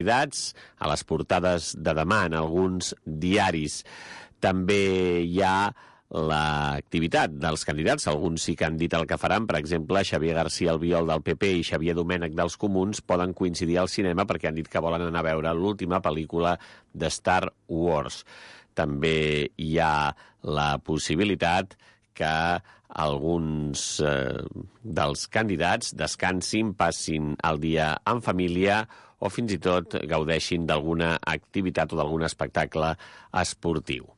candidats a les portades de demà en alguns diaris. També hi ha l'activitat dels candidats. Alguns sí que han dit el que faran. Per exemple, Xavier García Albiol del PP i Xavier Domènech dels Comuns poden coincidir al cinema perquè han dit que volen anar a veure l'última pel·lícula de Star Wars. També hi ha la possibilitat que alguns dels candidats descansin, passin el dia en família o fins i tot gaudeixin d'alguna activitat o d'algun espectacle esportiu.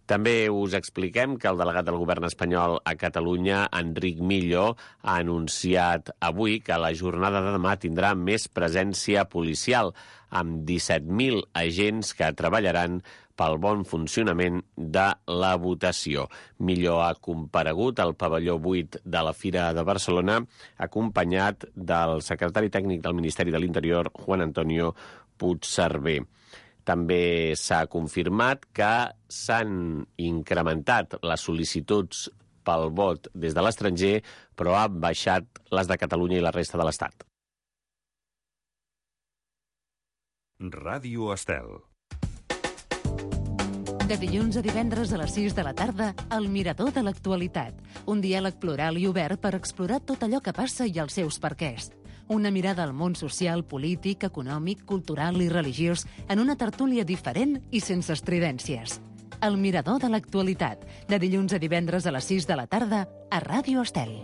També us expliquem que el delegat del govern espanyol a Catalunya, Enric Millo, ha anunciat avui que la jornada de demà tindrà més presència policial, amb 17.000 agents que treballaran pel bon funcionament de la votació. Millo ha comparegut al pavelló 8 de la Fira de Barcelona, acompanyat del secretari tècnic del Ministeri de l'Interior, Juan Antonio Puigcerver. També s'ha confirmat que s'han incrementat les sol·licituds pel vot des de l'estranger, però ha baixat les de Catalunya i la resta de l'Estat. Ràdio Estel. De dilluns a divendres a les 6 de la tarda, El Mirador de l'Actualitat. Un diàleg plural i obert per explorar tot allò que passa i els seus perquès. Una mirada al món social, polític, econòmic, cultural i religiós en una tertúlia diferent i sense estridències. El Mirador de l'Actualitat, de dilluns a divendres a les 6 de la tarda, a Ràdio Estel.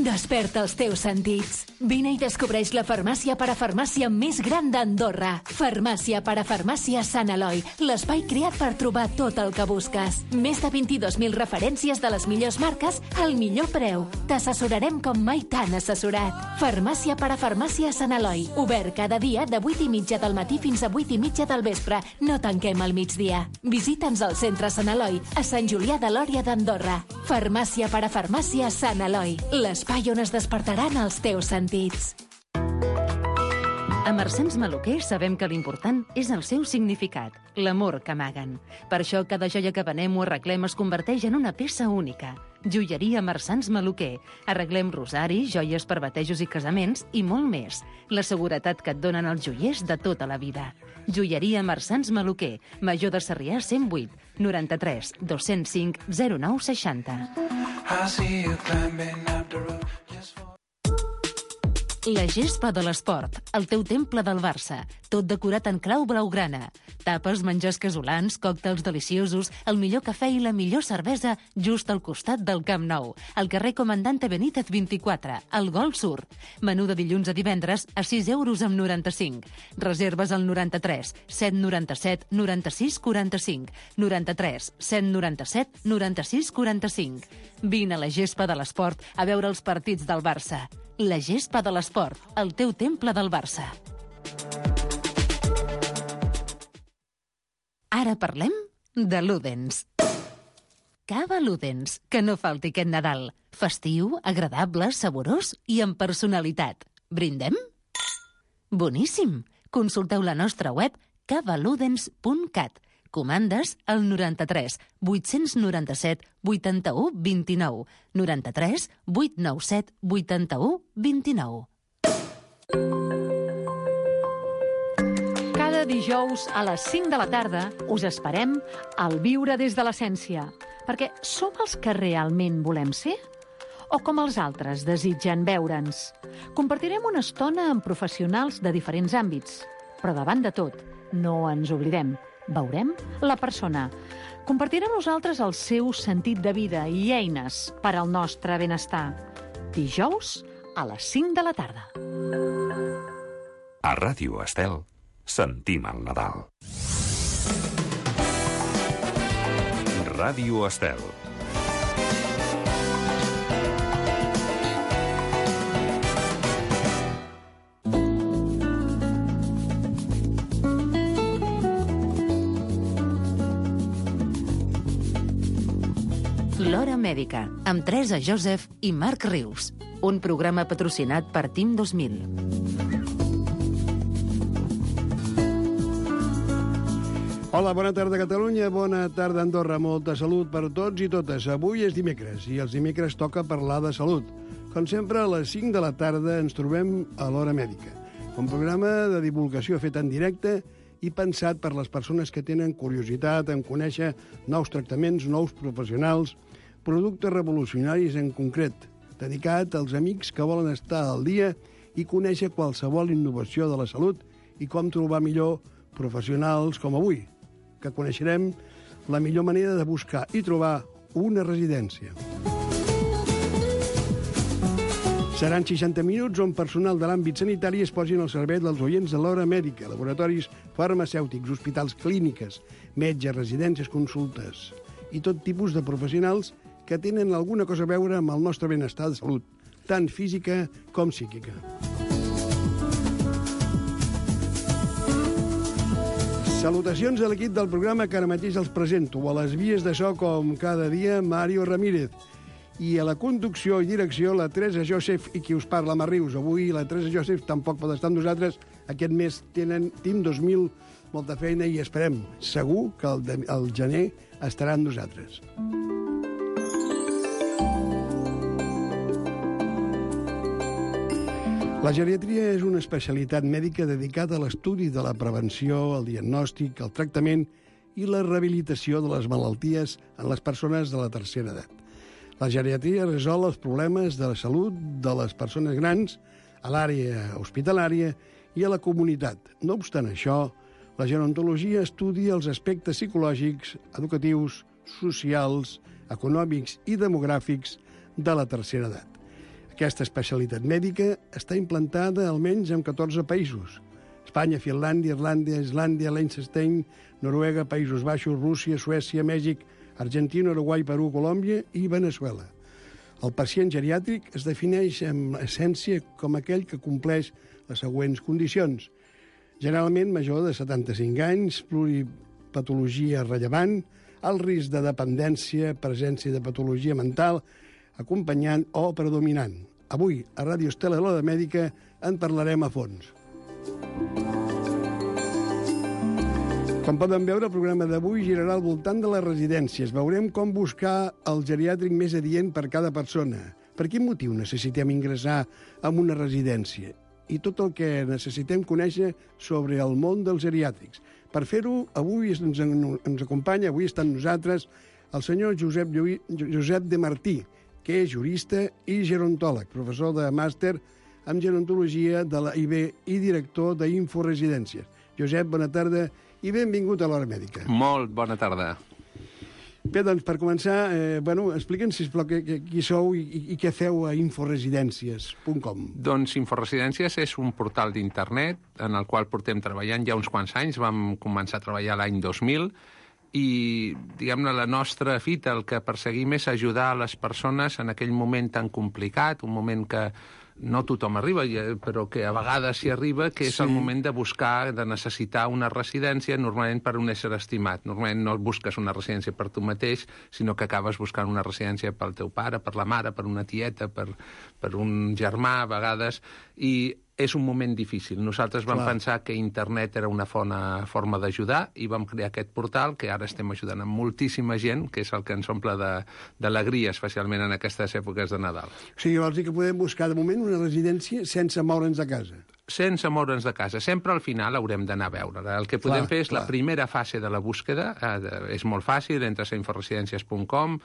Desperta els teus sentits. Vine i descobreix la farmàcia parafarmàcia més gran d'Andorra. Farmàcia parafarmàcia Sant Eloi, l'espai creat per trobar tot el que busques. Més de 22.000 referències de les millors marques al millor preu. T'assessorarem com mai t'han assessorat. Farmàcia parafarmàcia Sant Eloi, obert cada dia de 8:30 del matí fins a 8:30 del vespre. No tanquem al migdia. Visita'ns al centre Sant Eloi, a Sant Julià de Lòria d'Andorra. Farmàcia parafarmàcia Sant Eloi, l'espai on es despertaran els teus sentits. A Marsans Maluquer sabem que l'important és el seu significat, l'amor que amaguen. Per això cada joia que venem o arreglem es converteix en una peça única. Joieria Marsans Maluquer. Arreglem rosaris, joies per batejos i casaments i molt més. La seguretat que et donen els joiers de tota la vida. Joieria Marsans Maluquer. Major de Sarrià 108 93 205 0960. La gespa de l'esport, el teu temple del Barça, tot decorat en clau blaugrana. Tapes, menjars casolans, còctels deliciosos, el millor cafè i la millor cervesa just al costat del Camp Nou, al carrer Comandante Benítez 24, al Gol Sur. Menú de dilluns a divendres a 6,95 €. Reserves al 93 797 96 45, 93 797 96 45. Vine a la gespa de l'esport a veure els partits del Barça. La gespa de l'esport, el teu temple del Barça. Ara parlem de Ludens. Cava Ludens, que no falti aquest Nadal. Festiu, agradable, saborós i amb personalitat. Brindem? Boníssim! Consulteu la nostra web cavaludens.cat. Comandes al 93 897 81 29, 93 897 81 29. Cada dijous a les 5 de la tarda us esperem al Viure des de l'Essència, perquè som els que realment volem ser? O com els altres desitgen veure'ns? Compartirem una estona amb professionals de diferents àmbits, però davant de tot, no ens oblidem. Veurem la persona. Compartirà amb nosaltres el seu sentit de vida i eines per al nostre benestar. Dijous a les 5 de la tarda. A Ràdio Estel sentim el Nadal. Ràdio Estel. L'Hora Mèdica, amb Teresa Joseph i Marc Rius. Un programa patrocinat per Team 2000. Hola, bona tarda Catalunya, bona tarda Andorra. Molta salut per tots i totes. Avui és dimecres i els dimecres toca parlar de salut. Com sempre, a les 5 de la tarda ens trobem a l'Hora Mèdica, un programa de divulgació fet en directe i pensat per les persones que tenen curiositat en conèixer nous tractaments, nous professionals, productes revolucionaris en concret, dedicat als amics que volen estar al dia i conèixer qualsevol innovació de la salut i com trobar millor professionals com avui, que coneixerem la millor manera de buscar i trobar una residència. Seran 60 minuts on personal de l'àmbit sanitari es posin al servei dels oients de l'Hora Mèdica, laboratoris farmacèutics, hospitals, clíniques, metges, residències, consultes i tot tipus de professionals que tenen alguna cosa a veure amb el nostre benestar de salut, tant física com psíquica. Salutacions a l'equip del programa que ara mateix els presento. A les vies de so, com cada dia, Mario Ramírez. I a la conducció i direcció, la Teresa Joseph i qui us parla, Mar Rius. Avui la Teresa Joseph tampoc pot estar amb nosaltres. Aquest mes tenen Team 2000 molta feina i esperem, segur, que el gener estarà amb nosaltres. La geriatria és una especialitat mèdica dedicada a l'estudi de la prevenció, el diagnòstic, el tractament i la rehabilitació de les malalties en les persones de la tercera edat. La geriatria resol els problemes de la salut de les persones grans a l'àrea hospitalària i a la comunitat. No obstant això, la gerontologia estudia els aspectes psicològics, educatius, socials, econòmics i demogràfics de la tercera edat. Aquesta especialitat mèdica està implantada almenys en 14 països. Espanya, Finlàndia, Irlanda, Islàndia, Liechtenstein, Noruega, Països Baixos, Rússia, Suècia, Mèxic, Argentina, Uruguai, Perú, Colòmbia i Veneçuela. El pacient geriàtric es defineix en essència com aquell que compleix les següents condicions. Generalment major de 75 anys, pluripatologia rellevant, alt risc de dependència, presència de patologia mental, acompanyant o predominant. Avui, a Ràdio Estel a l'Hora Mèdica, en parlarem a fons. Com poden veure, el programa d'avui girarà al voltant de les residències. Veurem com buscar el geriàtric més adient per cada persona. Per quin motiu necessitem ingressar en una residència? I tot el que necessitem conèixer sobre el món dels geriàtrics. Per fer-ho, avui ens acompanya, avui està amb nosaltres, el senyor Josep de Martí, que és jurista i gerontòleg, professor de màster en gerontologia de la IB i director d'Inforesidències. Josep, bona tarda i benvingut a l'Hora Mèdica. Molt bona tarda. Bé, doncs, per començar, explica'ns, sisplau, qui sou i què feu a inforesidències.com. Doncs Inforesidències és un portal d'internet en el qual portem treballant ja uns quants anys. Vam començar a treballar l'any 2000 i, diguem-ne, la nostra fita, el que perseguim és ajudar a les persones en aquell moment tan complicat, un moment que no tothom arriba, però que a vegades s'hi arriba, que és el moment de buscar, de necessitar una residència, normalment per un ésser estimat. Normalment no busques una residència per tu mateix, sinó que acabes buscant una residència pel teu pare, per la mare, per una tieta, per un germà, a vegades, i és un moment difícil. Nosaltres vam pensar que internet era una forma d'ajudar i vam crear aquest portal que ara estem ajudant a moltíssima gent, que és el que ens omple d'alegria, especialment en aquestes èpoques de Nadal. O sigui, vols dir que podem buscar de moment una residència sense moure'ns de casa? Sense moure'ns de casa. Sempre al final haurem d'anar a veure. El que podem fer és la primera fase de la búsqueda. És molt fàcil, entres a inforesidències.com,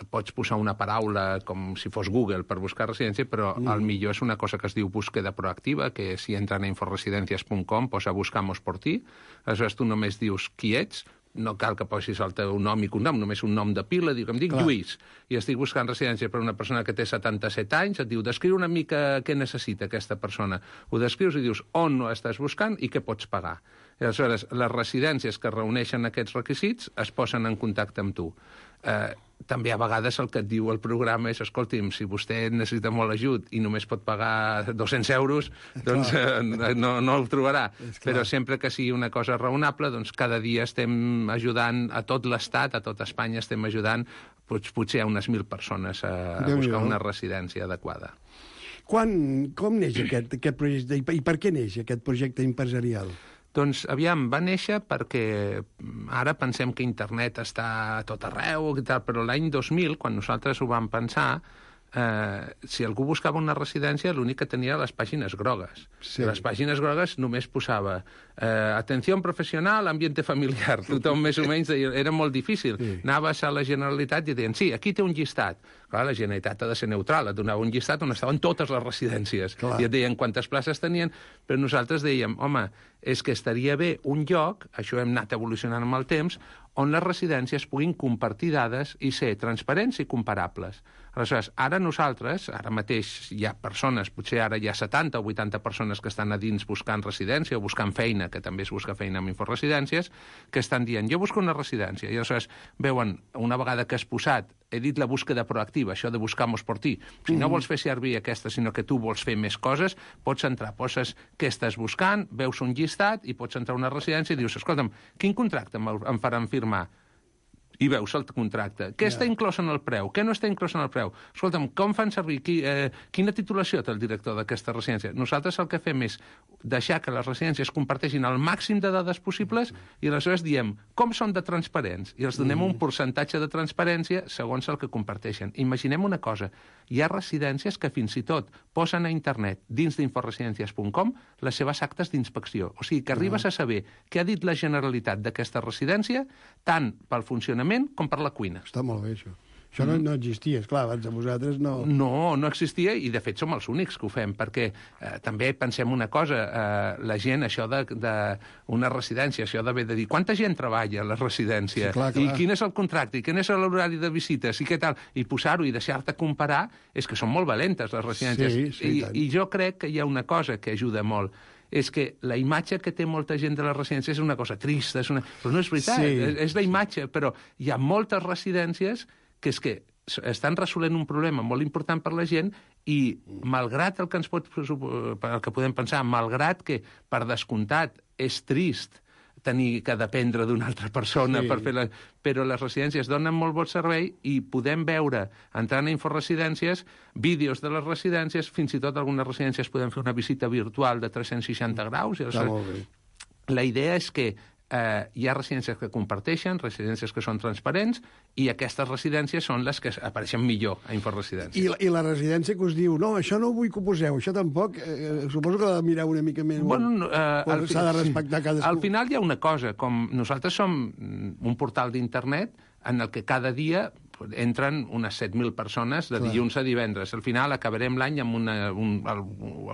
pots posar una paraula com si fos Google per buscar residència, però el millor és una cosa que es diu búsqueda proactiva, que si entren a inforesidències.com posa buscamos por ti, aleshores tu només dius qui ets, no cal que posis el teu nom i cognom, només un nom de pila, em dic Lluís, i estic buscant residència per una persona que té 77 anys, et diu, descriu una mica què necessita aquesta persona. Ho descrius i dius on ho estàs buscant i què pots pagar. I aleshores, les residències que reuneixen aquests requisits es posen en contacte amb tu. També a vegades el que et diu el programa és, escolti'm, si vostè necessita molt ajut i només pot pagar 200 euros, doncs no el trobarà. Però sempre que sigui una cosa raonable, doncs cada dia estem ajudant a tot l'Estat, a tot Espanya estem ajudant potser a unes 1.000 persones a buscar una residència adequada. Com neix aquest projecte i per què neix aquest projecte empresarial? Doncs, aviam, va néixer perquè ara pensem que internet està a tot arreu i tal, però l'any 2000, quan nosaltres ho vam pensar, si algú buscava una residència, l'únic que tenia les pàgines grogues. Sí. Les pàgines grogues només posava atenció professional, ambiente familiar. Tothom més o menys deia, era molt difícil. Sí. Anaves a la Generalitat i deien, sí, aquí té un llistat. Clar, la Generalitat ha de ser neutral, et donava un llistat on estaven totes les residències. Clar. I et deien quantes places tenien, però nosaltres dèiem, home, és que estaria bé un lloc, això hem anat evolucionant amb el temps, on les residències puguin compartir dades i ser transparents i comparables. Aleshores, ara nosaltres, ara mateix hi ha persones, potser ara hi ha 70 o 80 persones que estan a dins buscant residència o buscant feina, que també es busca feina amb Inforesidències, que estan dient, jo busco una residència, i aleshores veuen, una vegada que has posat, he dit la búsqueda proactiva, això de buscamos por ti. Si no vols fer servir aquesta, sinó que tu vols fer més coses, pots entrar, poses què estàs buscant, veus un llistat i pots entrar a una residència i dius, escolta'm, quin contracte em faran firmar? I veus el contracte. Què està inclòs en el preu? Què no està inclòs en el preu? Escolta'm, com fan servir? Quina titulació té el director d'aquesta residència? Nosaltres el que fem és deixar que les residències comparteixin el màxim de dades possibles i aleshores diem com són de transparents i els donem un percentatge de transparència segons el que comparteixen. Imaginem una cosa, hi ha residències que fins i tot posen a internet dins d'inforesidències.com les seves actes d'inspecció. O sigui, que arribes a saber què ha dit la Generalitat d'aquesta residència tant pel funcionament com per la cuina. Està molt bé, això. Això no existia, esclar, abans de vosaltres no... No existia i, de fet, som els únics que ho fem, perquè també pensem una cosa, la gent, això d'una residència, això d'haver de dir quanta gent treballa a la residència, sí, clar. I quin és el contracte, i quin és l'horari de visites, i què tal, i posar-ho i deixar-te comparar, és que són molt valentes, les residències. Sí, I jo crec que hi ha una cosa que ajuda molt, és que la imatge que té molta gent de les residències és una cosa trista, però no és veritat, és la imatge, però hi ha moltes residències que és que estan resolent un problema molt important per la gent i, malgrat el que podem pensar, malgrat que, per descomptat, és trist tenir que dependre d'una altra persona per fer però les residències donen molt bon servei i podem veure, entrant a Inforesidències, vídeos de les residències, fins i tot algunes residències podem fer una visita virtual de 360 graus. Està molt bé. La idea és que hi ha residències que comparteixen, residències que són transparents, i aquestes residències són les que apareixen millor a Inforesidències. I la residència que us diu, no, això no vull que ho poseu, això tampoc, suposo que l'ha de mirar una mica més... Bueno, s'ha de respectar cadascú. Al final hi ha una cosa, com nosaltres som un portal d'internet en el que cada dia entren unes 7.000 persones de dilluns a divendres. Al final acabarem l'any amb al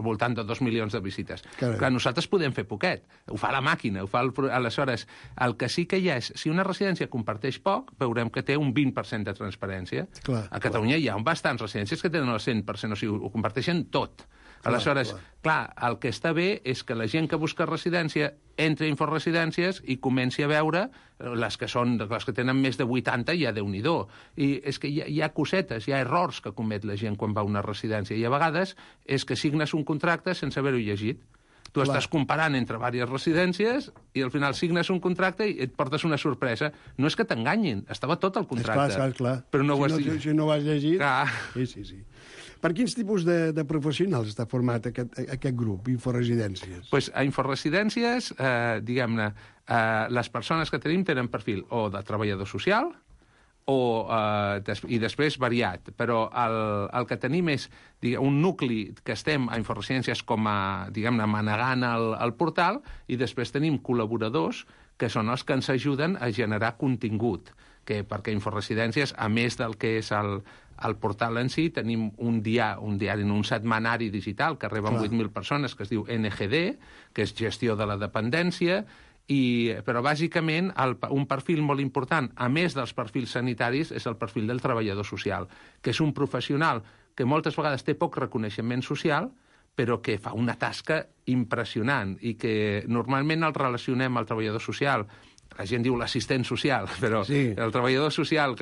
voltant de 2 milions de visites. Clar, nosaltres podem fer poquet. Ho fa la màquina, aleshores, el que sí que hi ha és, si una residència comparteix poc, veurem que té un 20% de transparència. A Catalunya hi ha bastants residències que tenen el 100%, o sigui, ho comparteixen tot. Aleshores, clar, el que està bé és que la gent que busca residència entri a Inforesidències i comenci a veure les que tenen més de 80, ja Déu-n'hi-do. I és que hi ha cosetes, hi ha errors que comet la gent quan va a una residència. I a vegades és que signes un contracte sense haver-ho llegit. Tu estàs comparant entre diverses residències i al final signes un contracte i et portes una sorpresa. No és que t'enganyin, estava tot el contracte. Clar. Però no ho has llegit. Si no ho has llegit... Clar. Sí. Per quins tipus de professionals està format aquest grup, Inforesidències? Pues a Inforesidències, diguem-ne, les persones que tenim tenen perfil o de treballador social i després variat, però el que tenim és un nucli que estem a Inforesidències com a, diguem-ne, manegant el portal, i després tenim col·laboradors que són els que ens ajuden a generar contingut, perquè Inforesidències, a més del que és el portal en si, tenim un diari, un setmanari digital que reben 8.000 persones, que es diu NGD, que és gestió de la dependència, però bàsicament un perfil molt important, a més dels perfils sanitaris, és el perfil del treballador social, que és un professional que moltes vegades té poc reconeixement social, però que fa una tasca impressionant i que normalment el relacionem al treballador social. La gent diu l'assistent social, però el treballador social,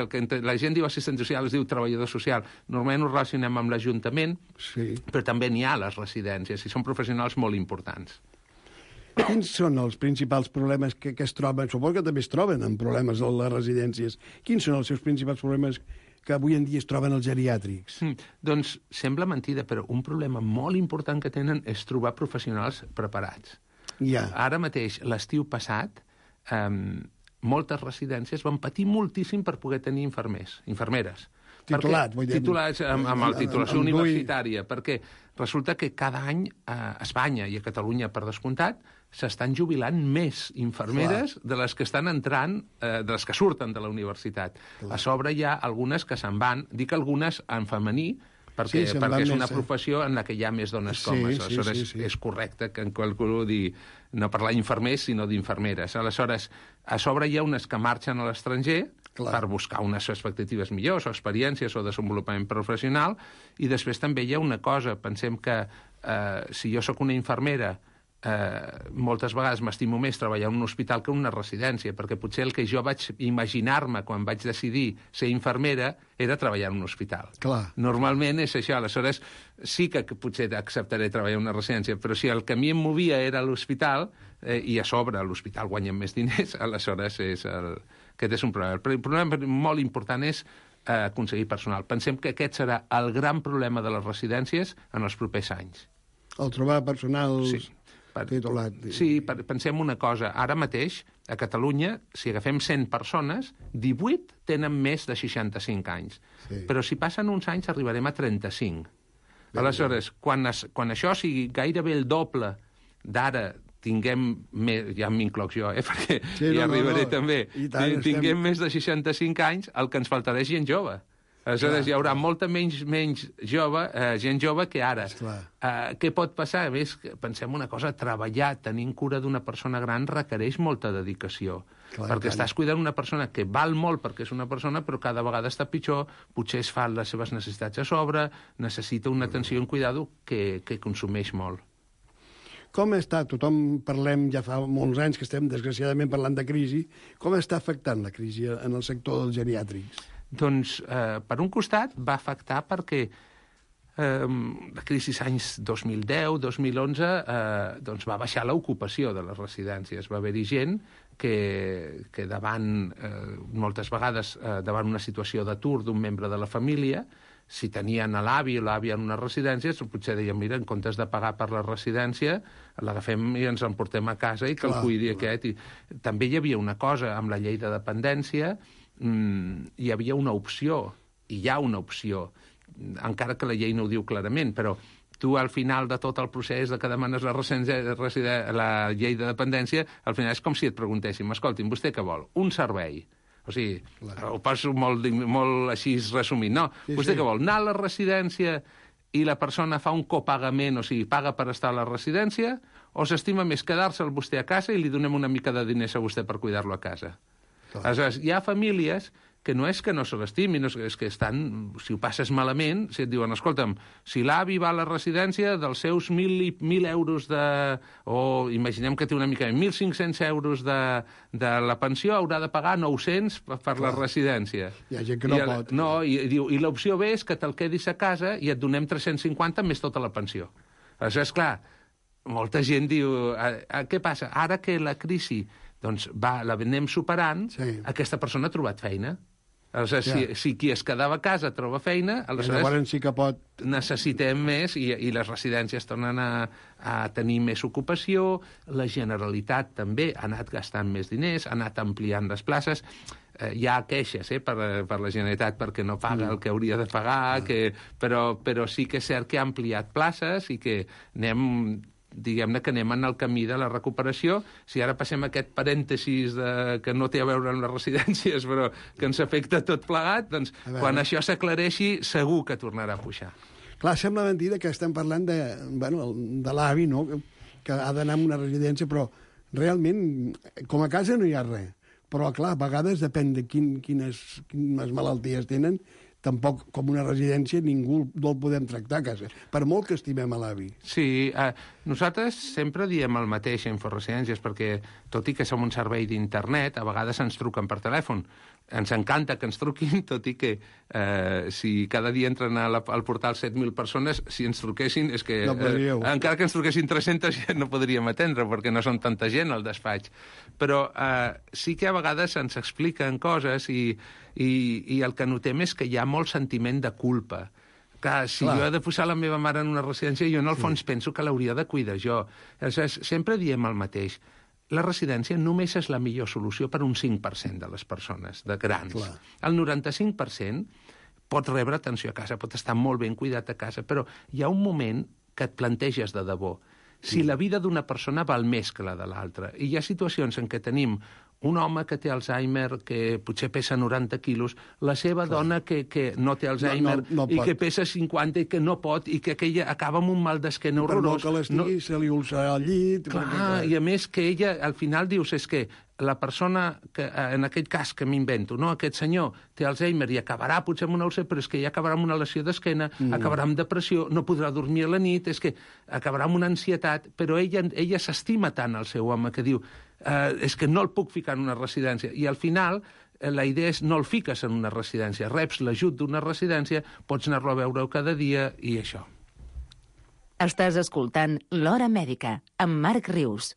la gent diu assistent social, es diu treballador social. Normalment ho relacionem amb l'Ajuntament, però també n'hi ha a les residències, i són professionals molt importants. Quins són els principals problemes que es troben? Suposo que també es troben amb problemes a les residències. Quins són els seus principals problemes que avui en dia es troben els geriàtrics? Doncs sembla mentida, però un problema molt important que tenen és trobar professionals preparats. Ara mateix, l'estiu passat, moltes residències van patir moltíssim per poder tenir infermeres, Titulats, vull dir. Titulats amb la titulació universitària, perquè resulta que cada any a Espanya i a Catalunya, per descomptat, s'estan jubilant més infermeres de les que estan entrant, de les que surten de la universitat. A sobre hi ha algunes que se'n van, dic algunes en femení, perquè és una professió en la que hi ha més dones que homes. Aleshores, és correcte que en qualsevol dir no parlar d'infermers, sinó d'infermeres. Aleshores, a sobre hi ha unes que marxen a l'estranger per buscar unes expectatives millors, o experiències, o desenvolupament professional, i després també hi ha una cosa, pensem que si jo sóc una infermera, moltes vegades m'estimo més treballar en un hospital que en una residència, perquè potser el que jo vaig imaginar-me quan vaig decidir ser infermera era treballar en un hospital. Clar. Normalment és això, aleshores sí que potser acceptaré treballar en una residència, però si el que a mi em movia era l'hospital, i a sobre a l'hospital guanyem més diners, aleshores aquest és un problema. El problema molt important és aconseguir personal. Pensem que aquest serà el gran problema de les residències en els propers anys. El trobar personal... titulat. Sí, pensem una cosa. Ara mateix, a Catalunya, si agafem 100 persones, 18 tenen més de 65 anys. Sí. Però si passen uns anys arribarem a 35. Aleshores, quan això sigui gairebé el doble d'ara, tinguem més, ja m'incloc jo, perquè hi arribaré també, tinguem més de 65 anys, el que ens faltarà és gent jove. Aleshores, hi haurà molta menys gent jove que ara. Què pot passar? A més, pensem una cosa, treballar tenint cura d'una persona gran requereix molta dedicació. Perquè estàs cuidant una persona que val molt perquè és una persona, però cada vegada està pitjor, potser es fa les seves necessitats a sobre, necessita una atenció i un cuidado que consumeix molt. Com està? Tothom parlem, ja fa molts anys que estem desgraciadament parlant de crisi, com està afectant la crisi en el sector dels geriàtrics? Doncs, per un costat, va afectar perquè la crisi anys 2010-2011 doncs va baixar l'ocupació de les residències. Va haver-hi gent que davant, moltes vegades, davant una situació d'atur d'un membre de la família, si tenien l'avi o l'àvia en una residència, potser deien, mira, en comptes de pagar per la residència, l'agafem i ens l'emportem a casa i que el cuidi aquest. També hi havia una cosa, amb la llei de dependència, hi havia una opció, i hi ha una opció, encara que la llei no ho diu clarament, però tu al final de tot el procés de que demanes la llei de dependència, al final és com si et preguntéssim, escolti'm, vostè què vol? Un servei. O sigui, ho passo molt així resumint. No, vostè què vol? Anar a la residència i la persona fa un copagament, o sigui, paga per estar a la residència, o s'estima més quedar-se'l vostè a casa i li donem una mica de diners a vostè per cuidar-lo a casa? Aleshores, hi ha famílies que no és que no se l'estimin, és que estan, si ho passes malament, si et diuen, escolta'm, si l'avi va a la residència, dels seus 1.000 euros o imaginem que té una mica, 1.500 euros de la pensió, haurà de pagar 900 per la residència. Hi ha gent que no pot. No, i l'opció B és que te'l quedis a casa i et donem 350 més tota la pensió. Aleshores, clar, molta gent diu, què passa? Ara que la crisi doncs l'anem superant, aquesta persona ha trobat feina. Aleshores, si qui es quedava a casa troba feina, aleshores sí que pot... necessitem més i les residències tornen a tenir més ocupació, la Generalitat també ha anat gastant més diners, ha anat ampliant les places. Hi ha queixes per la Generalitat perquè no paga el que hauria de pagar, però sí que és cert que ha ampliat places i que diguem-ne que anem en el camí de la recuperació. Si ara passem aquest parèntesis que no té a veure amb les residències, però que ens afecta tot plegat, doncs quan això s'aclareixi segur que tornarà a pujar. Clar, sembla mentida que estem parlant de l'avi, no?, que ha d'anar a una residència, però realment, com a casa no hi ha res. Però, clar, a vegades depèn de quines malalties tenen, tampoc, com una residència, ningú no el podem tractar a casa, per molt que estimem a l'avi. Sí, nosaltres sempre diem el mateix a Inforesidències, perquè, tot i que som un servei d'internet, a vegades ens truquen per telèfon. Ens encanta que ens truquin, tot i que si cada dia entren al portal 7.000 persones, si ens truquessin, és que encara que ens truquessin 300 ja no podríem atendre, perquè no són tanta gent al despatx. Però sí que a vegades ens expliquen coses i el que notem és que hi ha molt sentiment de culpa. Clar, si jo he de posar la meva mare en una residència, jo en el fons penso que l'hauria de cuidar jo. Aleshores, sempre diem el mateix. La residència només és la millor solució per un 5% de les persones, de grans. El 95% pot rebre atenció a casa, pot estar molt ben cuidat a casa, però hi ha un moment que et planteges de debò si la vida d'una persona val més que la de l'altra. I hi ha situacions en què tenim un home que té Alzheimer, que potser pesa 90 quilos, la seva dona que no té Alzheimer i que pesa 50 i que no pot, i que aquella acaba amb un mal d'esquena horrorós. Però no que l'estigui, se li ulcerarà al llit... Clar, i a més que ella, al final dius, és que la persona, que en aquest cas que m'invento, no? Aquest senyor té Alzheimer i acabarà potser amb una úlcera, però és que ja acabarà amb una lesió d'esquena, acabarà amb depressió, no podrà dormir a la nit, és que acabarà amb una ansietat, però ella s'estima tant al seu home que diu és que no el puc ficar en una residència. I al final la idea és no el fiques en una residència, reps l'ajut d'una residència, pots anar-lo a veure cada dia i això. Estàs escoltant L'Hora Mèdica, amb Marc Rius.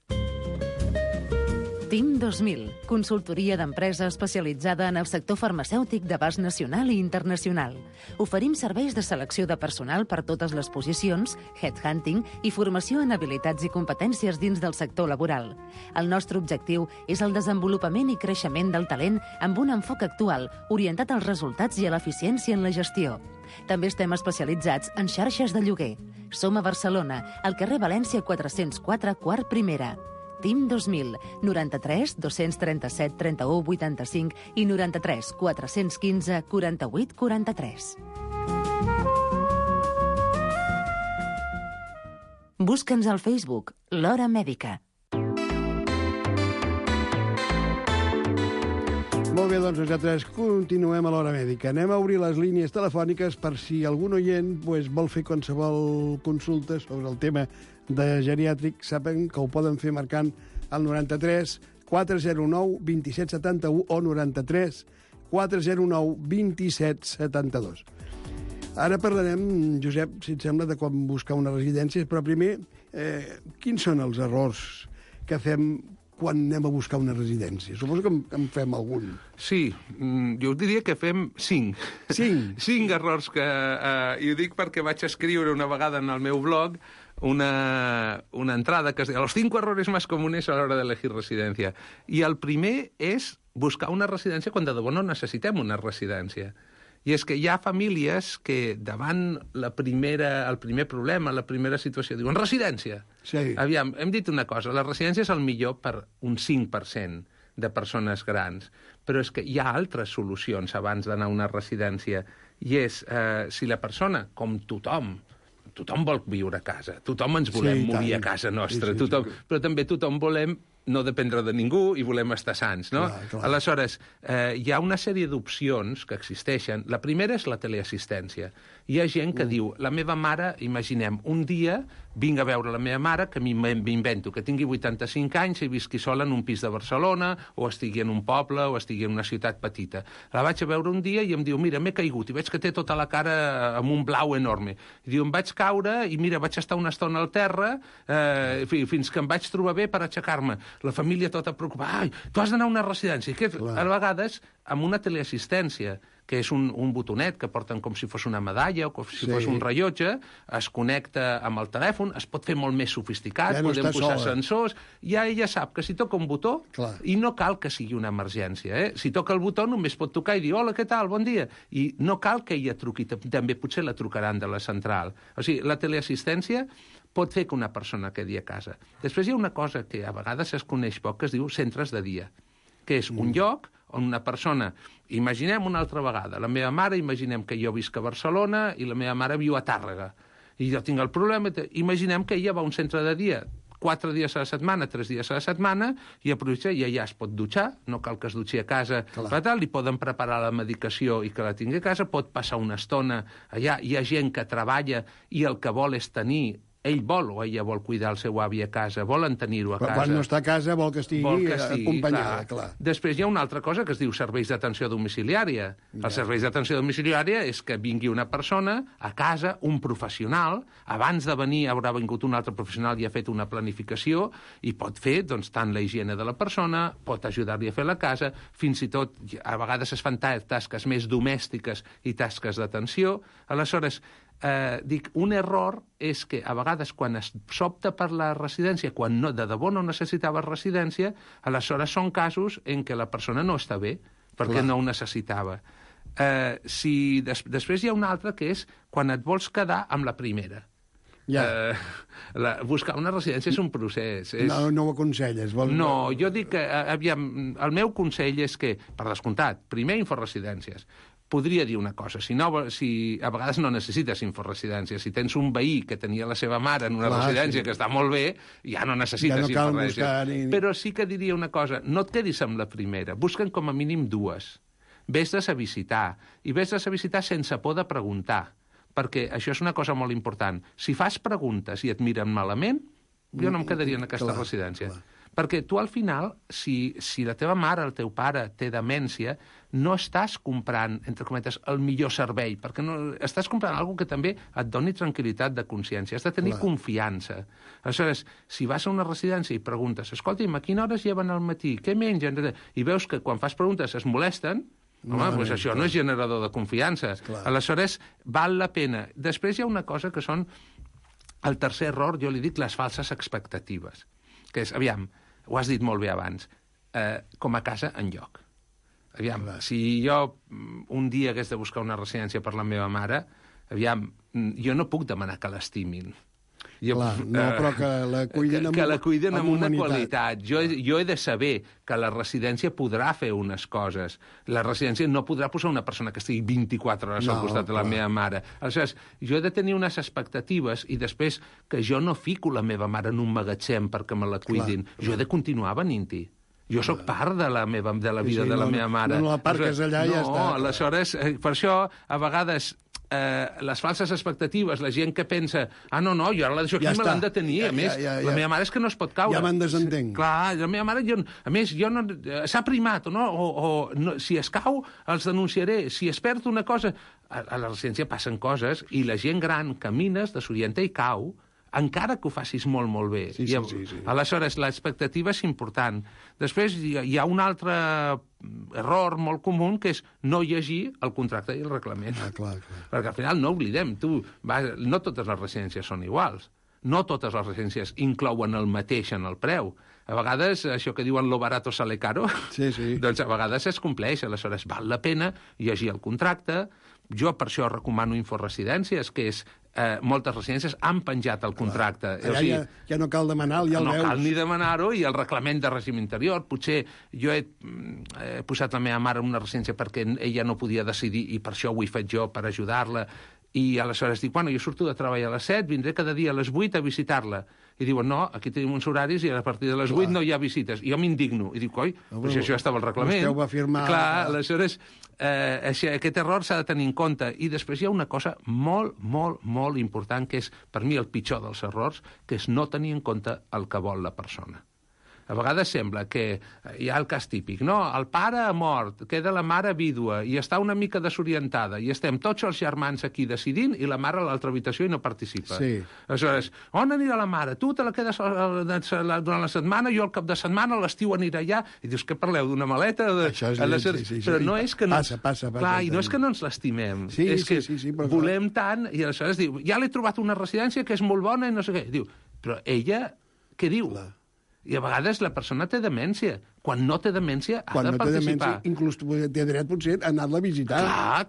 TIM 2000, consultoria d'empresa especialitzada en el sector farmacèutic d'abast nacional i internacional. Oferim serveis de selecció de personal per totes les posicions, headhunting i formació en habilitats i competències dins del sector laboral. El nostre objectiu és el desenvolupament i creixement del talent amb un enfoc actual, orientat als resultats i a l'eficiència en la gestió. També estem especialitzats en xarxes de lloguer. Som a Barcelona, al carrer València 404, quart primera. TIM 2000, 93 237 31 85 i 93 415 48 43. Busca'ns al Facebook, L'Hora Mèdica. Molt bé, doncs nosaltres continuem a l'Hora Mèdica. Anem a obrir les línies telefòniques per si algun oient vol fer qualsevol consulta sobre el tema de geriàtric. Saben que ho poden fer marcant el 93 409 2771 o 93 409 2772. Ara parlarem, Josep, si et sembla, de com buscar una residència, però primer, quins són els errors que fem quan anem a buscar una residència? Suposo que en fem algun. Sí, jo diria que fem 5. 5? 5 errors que... I ho dic perquè vaig escriure una vegada en el meu blog una entrada que es diu los 5 errores más comunes a la hora de elegir residencia. I el primer és buscar una residència quan de debò no necessitem una residència. I és que hi ha famílies que davant el primer problema, la primera situació, diuen residència. Sí. Aviam, hem dit una cosa, la residència és el millor per un 5% de persones grans, però és que hi ha altres solucions abans d'anar a una residència, i és si la persona, com tothom vol viure a casa, tothom ens volem morir a casa nostra, però també tothom volem no dependre de ningú i volem estar sants, no? Clar. Aleshores, hi ha una sèrie d'opcions que existeixen. La primera és la teleassistència. Hi ha gent que diu, la meva mare, imaginem, un dia vinc a veure la meva mare, que m'invento, que tingui 85 anys i visqui sola en un pis de Barcelona, o estigui en un poble, o estigui en una ciutat petita. La vaig a veure un dia i em diu, mira, m'he caigut, i veig que té tota la cara amb un blau enorme. I diu, em vaig caure, i mira, vaig estar una estona al terra, fins que em vaig trobar bé per aixecar-me. La família tota preocupada, ai, tu has d'anar a una residència. A vegades, amb una teleassistència, que és un botonet que porten com si fos una medalla o com si fos un rellotge, es connecta amb el telèfon, es pot fer molt més sofisticat, podem posar sensors, ja ella sap que si toca un botó, i no cal que sigui una emergència, si toca el botó només pot tocar i dir, hola, què tal, bon dia, i no cal que ella truqui, també potser la trucaran de la central. O sigui, la teleassistència pot fer que una persona quedi a casa. Després hi ha una cosa que a vegades es coneix poc, que es diu centres de dia, que és un lloc on una persona... Imaginem una altra vegada, la meva mare, imaginem que jo visc a Barcelona i la meva mare viu a Tàrrega, i jo tinc el problema... Imaginem que ella va a un centre de dia 4 dies a la setmana, 3 dies a la setmana, i aprovecha i allà es pot dutxar, no cal que es dutxi a casa, li poden preparar la medicació i que la tingui a casa, pot passar una estona allà, hi ha gent que treballa i el que vol és tenir... Ell vol o ella vol cuidar el seu avi a casa, volen tenir-ho a casa. Però quan no està a casa vol que estigui acompanyada, clar. Després hi ha una altra cosa que es diu serveis d'atenció domiciliària. Els serveis d'atenció domiciliària és que vingui una persona a casa, un professional, abans de venir haurà vingut un altre professional i ha fet una planificació i pot fer doncs, tant la higiene de la persona, pot ajudar-li a fer la casa, fins i tot a vegades es fan tasques més domèstiques i tasques d'atenció. Aleshores, un error és que a vegades quan s'opta per la residència, quan de debò no necessitava residència, aleshores són casos en què la persona no està bé, perquè no ho necessitava. Després hi ha una altra que és quan et vols quedar amb la primera. Buscar una residència és un procés. No ho aconselles? No, jo dic que, el meu consell és que, per descomptat, primer inforesidències. Podria dir una cosa, si a vegades no necessites inforesidència. Si tens un veí que tenia la seva mare en una residència que està molt bé, ja no necessites inforesidència. Però sí que diria una cosa, no et quedis amb la primera, busca'n com a mínim dues. Ves-les a visitar, i ves-les a visitar sense por de preguntar, perquè això és una cosa molt important. Si fas preguntes i et miren malament, jo no em quedaria en aquesta residència. Perquè tu, al final, si la teva mare, el teu pare, té demència, no estàs comprant, entre cometes, el millor servei, perquè estàs comprant alguna que també et doni tranquil·litat de consciència. Has de tenir confiança. Aleshores, si vas a una residència i preguntes, escolti'm, a quina hora es lleven al matí? Què mengen? I veus que quan fas preguntes es molesten, doncs això no és generador de confiança. Aleshores, val la pena. Després hi ha una cosa que són el tercer error, jo li dic les falses expectatives, que és, aviam, ho has dit molt bé abans, com a casa enlloc. Aviam, si jo un dia hagués de buscar una residència per la meva mare, aviam, jo no puc demanar que l'estimin. Però que la cuiden amb una qualitat. Jo he de saber que la residència podrà fer unes coses. La residència no podrà posar una persona que estigui 24 hores al costat de la meva mare. Aleshores, jo he de tenir unes expectatives i després que jo no fico la meva mare en un magatzem perquè me la cuidin. Jo he de continuar venint-hi. Jo sóc part de la vida de la meva mare. No la parques allà i ja està. No, aleshores, per això, a vegades, les falses expectatives, la gent que pensa no, jo ara això aquí me l'han de tenir. A més, la meva mare és que no es pot caure. Ja me'n desentenc. Clar, la meva mare, a més, s'ha primat, o si es cau, els denunciaré. Si es perd una cosa... A la residència passen coses i la gent gran camines, desorienta i cau, encara que ho facis molt, molt bé. Sí. Aleshores, l'expectativa és important. Després hi ha un altre error molt comú, que és no llegir el contracte i el reglament. Clar. Perquè al final no oblidem, no totes les residències són iguals. No totes les residències inclouen el mateix en el preu. A vegades, això que diuen lo barato sale caro, doncs a vegades es compleix. Aleshores, val la pena llegir el contracte. Jo per això recomano inforesidències, que és moltes residències han penjat el contracte. Allà ja no cal demanar-lo, ja el veus. No cal ni demanar-ho, i el reglament de règim interior. Potser jo he posat la meva mare en una residència perquè ella no podia decidir i per això ho he fet jo, per ajudar-la. I aleshores dic, jo surto de treball a les 7, vindré cada dia a les 8 a visitar-la. I diuen, no, aquí tenim uns horaris i a partir de les 8 no hi ha visites. I jo m'indigno. I dic, però si això estava al reglament. Vostè ho va firmar. Clar, aleshores, aquest error s'ha de tenir en compte. I després hi ha una cosa molt, molt, molt important, que és, per mi, el pitjor dels errors, que és no tenir en compte el que vol la persona. A vegades sembla que hi ha el cas típic, no? El pare ha mort, queda la mare vídua i està una mica desorientada i estem tots els germans aquí decidint i la mare a l'altra habitació i no participa. Sí. Aleshores, on anirà la mare? Tu te la quedes durant la setmana, jo al cap de setmana, l'estiu anirà allà, i dius, que parleu d'una maleta? Això és sí. Però no és que no... Passa. Clar, i no és que no ens l'estimem. Sí, és que però volem tant, i aleshores diu, ja l'he trobat una residència que és molt bona i no sé què. Diu, però ella, què diu? Clar. I a vegades la persona té demència. Quan no té demència, ha de participar. Quan no té demència, inclús té dret, potser, a anar-la a visitar.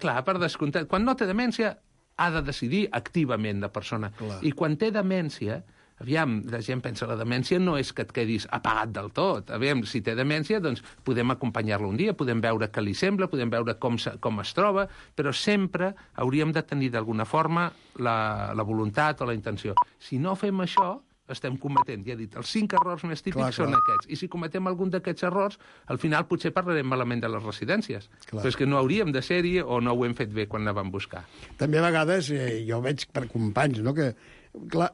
Clar, per descomptat. Quan no té demència, ha de decidir activament la persona. Clar. I quan té demència, aviam, la gent pensa, la demència no és que et quedis apagat del tot. Aviam, si té demència, doncs podem acompanyar-la un dia, podem veure què li sembla, podem veure com es troba, però sempre hauríem de tenir d'alguna forma la voluntat o la intenció. Si no fem això, estem cometent, ja he dit, els 5 errors més típics són aquests. I si cometem algun d'aquests errors, al final potser parlarem malament de les residències. Però és que no hauríem de ser-hi o no ho hem fet bé quan la vam buscar. També a vegades, jo veig per companys, no?, que clar,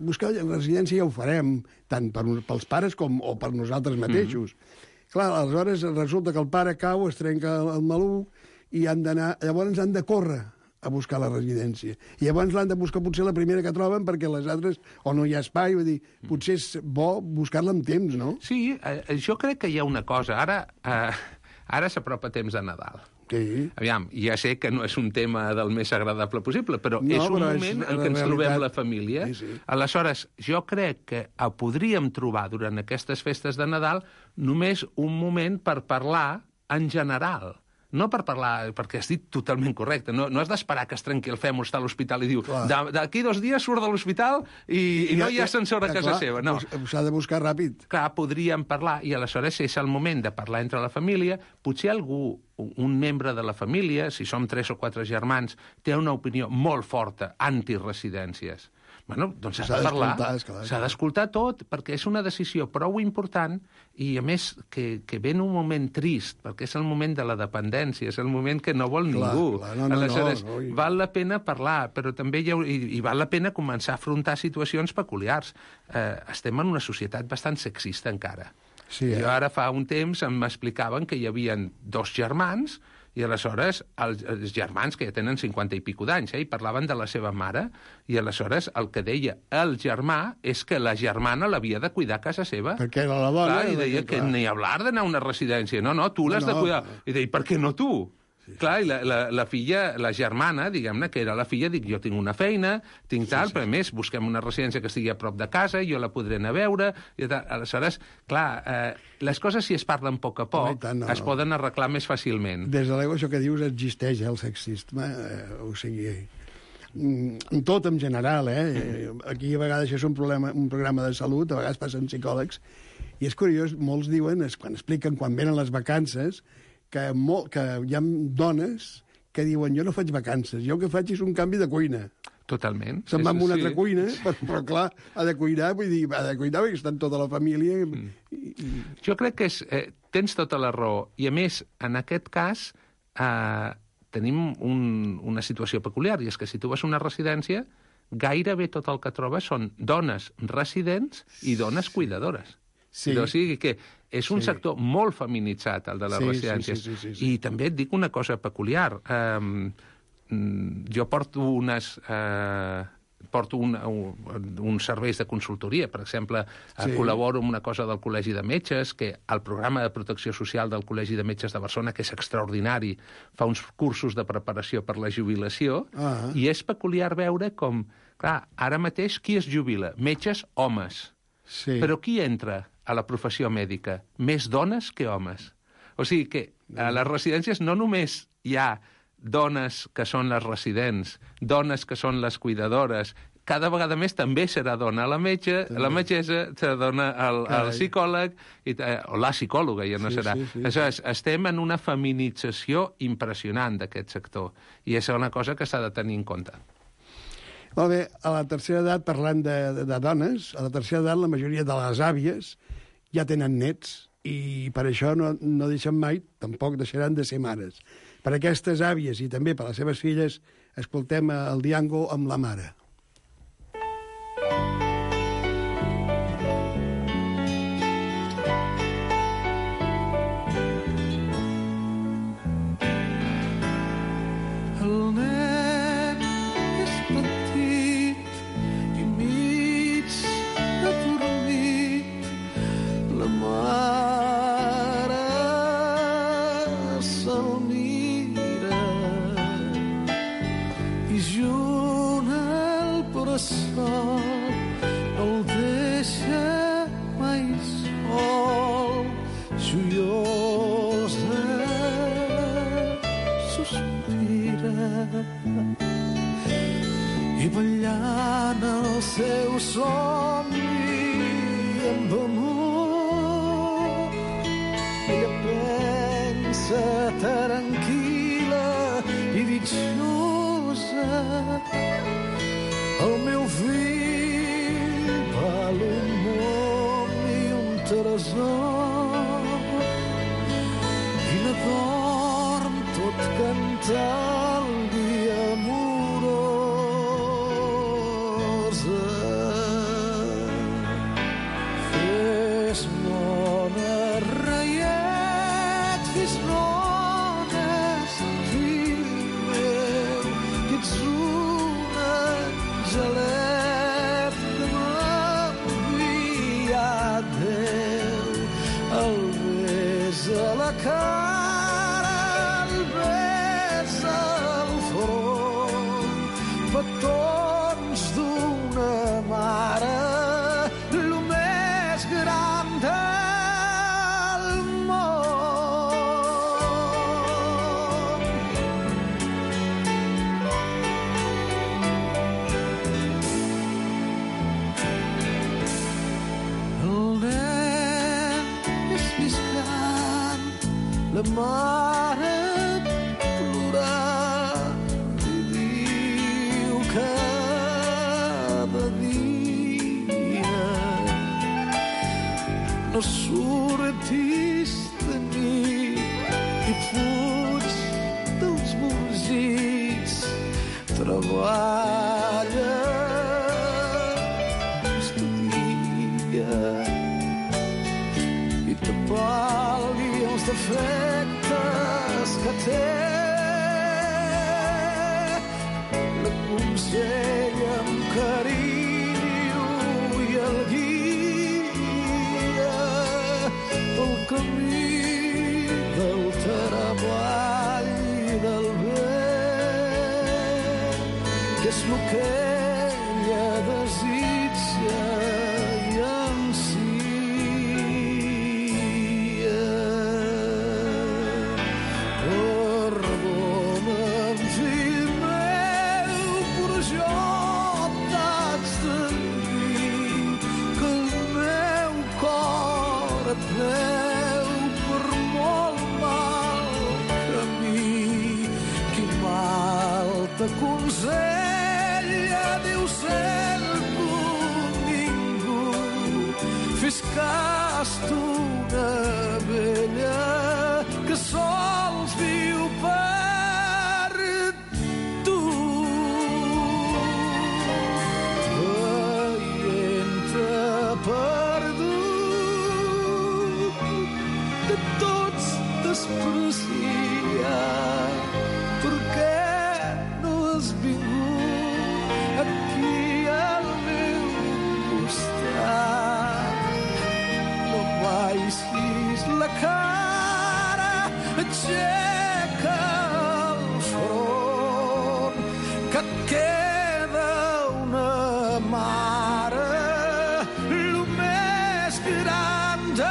buscar residència ja ho farem, tant pels pares o per nosaltres mateixos. Clar, aleshores resulta que el pare cau, es trenca el maluc i llavors han de córrer a buscar la residència. I llavors l'han de buscar potser la primera que troben perquè les altres o no hi ha espai, vull dir, potser és bo buscar-la amb temps, no? Sí, jo crec que hi ha una cosa. Ara s'apropa temps de Nadal. Sí. Aviam, ja sé que no és un tema del més agradable possible, però és un moment en què ens trobem la família. Sí. Aleshores, jo crec que podríem trobar durant aquestes festes de Nadal només un moment per parlar en general. no per parlar, perquè has dit totalment correcte, no has d'esperar que es trenqui el fèmur, està a l'hospital i diu, d'aquí 2 dies surt de l'hospital i no hi ha ascensor a casa seva. No. S'ha de buscar ràpid. Clar, podríem parlar, i aleshores és el moment de parlar entre la família. Potser algú, un membre de la família, si som 3 o 4 germans, té una opinió molt forta antiresidències. Bueno, doncs s'ha de parlar, s'ha d'escoltar tot, perquè és una decisió prou important i, a més, que ve en un moment trist, perquè és el moment de la dependència, és el moment que no vol ningú. Aleshores, val la pena parlar, però també i val la pena començar a afrontar situacions peculiars. Estem en una societat bastant sexista encara. Jo ara fa un temps m'explicaven que hi havia 2 germans i aleshores els germans, que ja tenen 50 i pico d'anys, i parlaven de la seva mare, i aleshores el que deia el germà és que la germana l'havia de cuidar a casa seva. Perquè era la dona. I deia que ni hablar d'anar a una residència. No, tu l'has de cuidar. I deia, per què no tu? Clar, i la filla, la germana, diguem-ne, que era la filla, dic, jo tinc una feina, tinc tal, però a més busquem una residència que estigui a prop de casa, jo la podré anar a veure, i tal. Aleshores, clar, les coses, si es parlen a poc es poden arreglar més fàcilment. Des de l'ego, això que dius, existeix el sexisme, o sigui, en tot en general, Aquí a vegades això és un programa de salut, a vegades passen psicòlegs, i és curiós, molts diuen, quan expliquen quan venen les vacances, que hi ha dones que diuen, jo no faig vacances, jo el que faig és un canvi de cuina. Totalment. Se'n va a una altra cuina, però clar, ha de cuidar, perquè està en tota la família. Jo crec que tens tota la raó, i a més, en aquest cas, tenim una situació peculiar, i és que si tu vas a una residència, gairebé tot el que trobes són dones residents i dones cuidadores. O sigui que és un sector molt feminitzat, el de les residències. I també et dic una cosa peculiar. Jo porto uns serveis de consultoria. Per exemple, col·laboro amb una cosa del Col·legi de Metges, que el programa de protecció social del Col·legi de Metges de Barcelona, que és extraordinari, fa uns cursos de preparació per la jubilació, i és peculiar veure com, clar, ara mateix qui es jubila? Metges, homes. Però qui entra a la professió mèdica? Més dones que homes. O sigui que a les residències no només hi ha dones que són les residents, dones que són les cuidadores, cada vegada més també serà dona la metgessa, serà dona el psicòleg, o la psicòloga, ja no serà. Aleshores, estem en una feminització impressionant d'aquest sector, i és una cosa que s'ha de tenir en compte. Molt bé, a la tercera edat, parlant de dones, a la tercera edat la majoria de les àvies ja tenen nets i per això no deixen mai, tampoc deixaran de ser mares. Per aquestes àvies i també per les seves filles, escoltem el Diango amb la mare. I ballant el seu somni amb amor, ella pensa tranquil·la i dichosa, el meu fill val un món i un tresor, i la dorm tot cantant dia amorosa. Fes bona, reiet, fes bones, fill meu, que ets un angelet que m'ha enviat Déu. El besa a la cara, el besa la mare plorar i diu cada dia no surtis de nit i fuig dels músics, treballa, estudia i t'apalgui els defectes que té. L'aconsella amb carinyo i el guia pel camí del treball i del bé, que és el que ella desitja i ansia. Perdona'm, fill meu, però jo t'haig de dir que el meu cor et veu per molt mal camí. Qui mal t'aconsella deu ser ningú. Fes cas d'una vella que sols viu per tu. Veient-te perdut, de tots desprecia. Per què no has vingut aquí al meu costat? No baixis la cara, aixeca el front, que et queda una mare, lo més gran del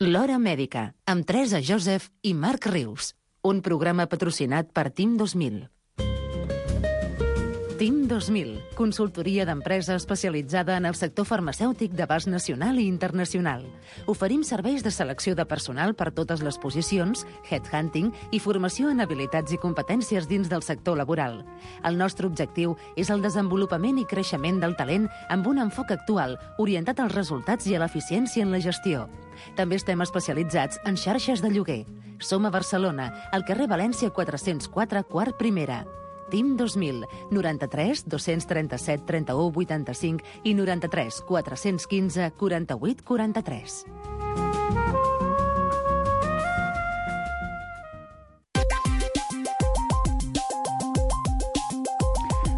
L'Hora Mèdica, amb Teresa Joseph i Marc Rius. Un programa patrocinat per Team 2000. Team 2000, consultoria d'empresa especialitzada en el sector farmacèutic d'abast nacional i internacional. Oferim serveis de selecció de personal per totes les posicions, headhunting i formació en habilitats i competències dins del sector laboral. El nostre objectiu és el desenvolupament i creixement del talent amb un enfoc actual, orientat als resultats i a l'eficiència en la gestió. També estem especialitzats en xarxes de lloguer. Som a Barcelona, al carrer València 404, quart primera. Team 2000, 93 237 31 85 i 93 415 48 43.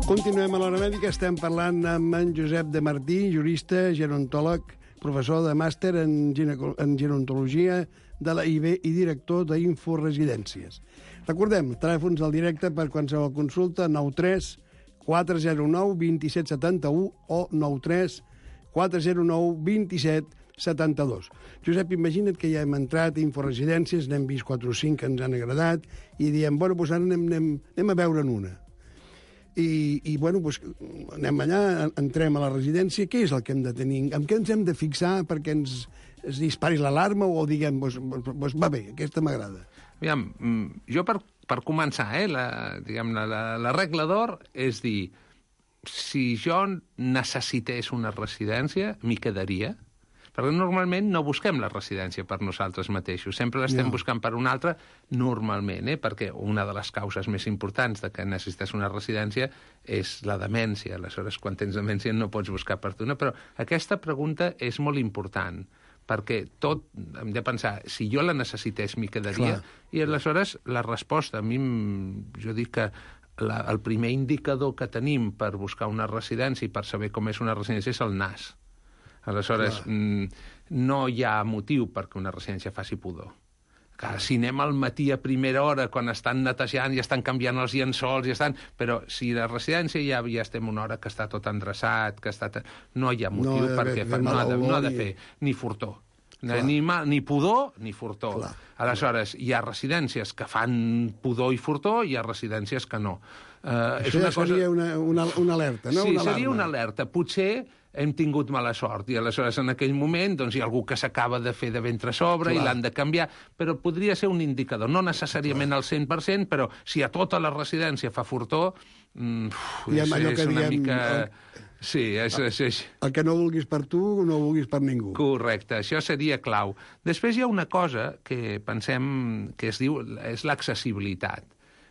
Continuem a l'Hora Mèdica, estem parlant amb en Josep de Martí, jurista, gerontòleg, professor de màster en gerontologia de la IB i director d'Inforesidències. Recordem, telèfons al directe per qualsevol consulta, 93 409 2771 o 93 409 2772. Josep, imagina't que ja hem entrat a Inforesidències, n'hem vist 4 o 5 que ens han agradat, i diem, bueno, doncs ara anem a veure'n una. I bueno, doncs anem allà, entrem a la residència, què és el que hem de tenir? En què ens hem de fixar perquè ens dispari l'alarma o diguem, doncs va bé, aquesta m'agrada? Aviam, jo per començar, la regla d'or és dir, si jo necessités una residència, m'hi quedaria, perquè normalment no busquem la residència per nosaltres mateixos, sempre l'estem buscant per un altre, normalment, perquè una de les causes més importants de que necessites una residència és la demència. Aleshores, quan tens demència no pots buscar per tu, però aquesta pregunta és molt important, perquè tot hem de pensar, si jo la necessités m'hi quedaria, i aleshores la resposta, a mi, jo dic que el primer indicador que tenim per buscar una residència i per saber com és una residència és el nas. Aleshores, no hi ha motiu perquè una residència faci pudor. Si anem al matí a primera hora, quan estan netejant i estan canviant els llençols, però si la residència ja estem una hora que està tot endreçat, no hi ha motiu perquè no ha de fer ni furtó. Ni pudor ni furtó. Clar. Aleshores, hi ha residències que fan pudor i furtó, i hi ha residències que no. Això seria una alerta, no? Sí, seria una alerta. Potser hem tingut mala sort, i aleshores en aquell moment hi ha algú que s'acaba de fer de ventre a sobre i l'han de canviar, però podria ser un indicador, no necessàriament al 100%, però si a tota la residència fa furtó, és una mica... Sí, el que no vulguis per tu, no vulguis per ningú. Correcte, això seria clau. Després hi ha una cosa que pensem que es diu és l'accessibilitat,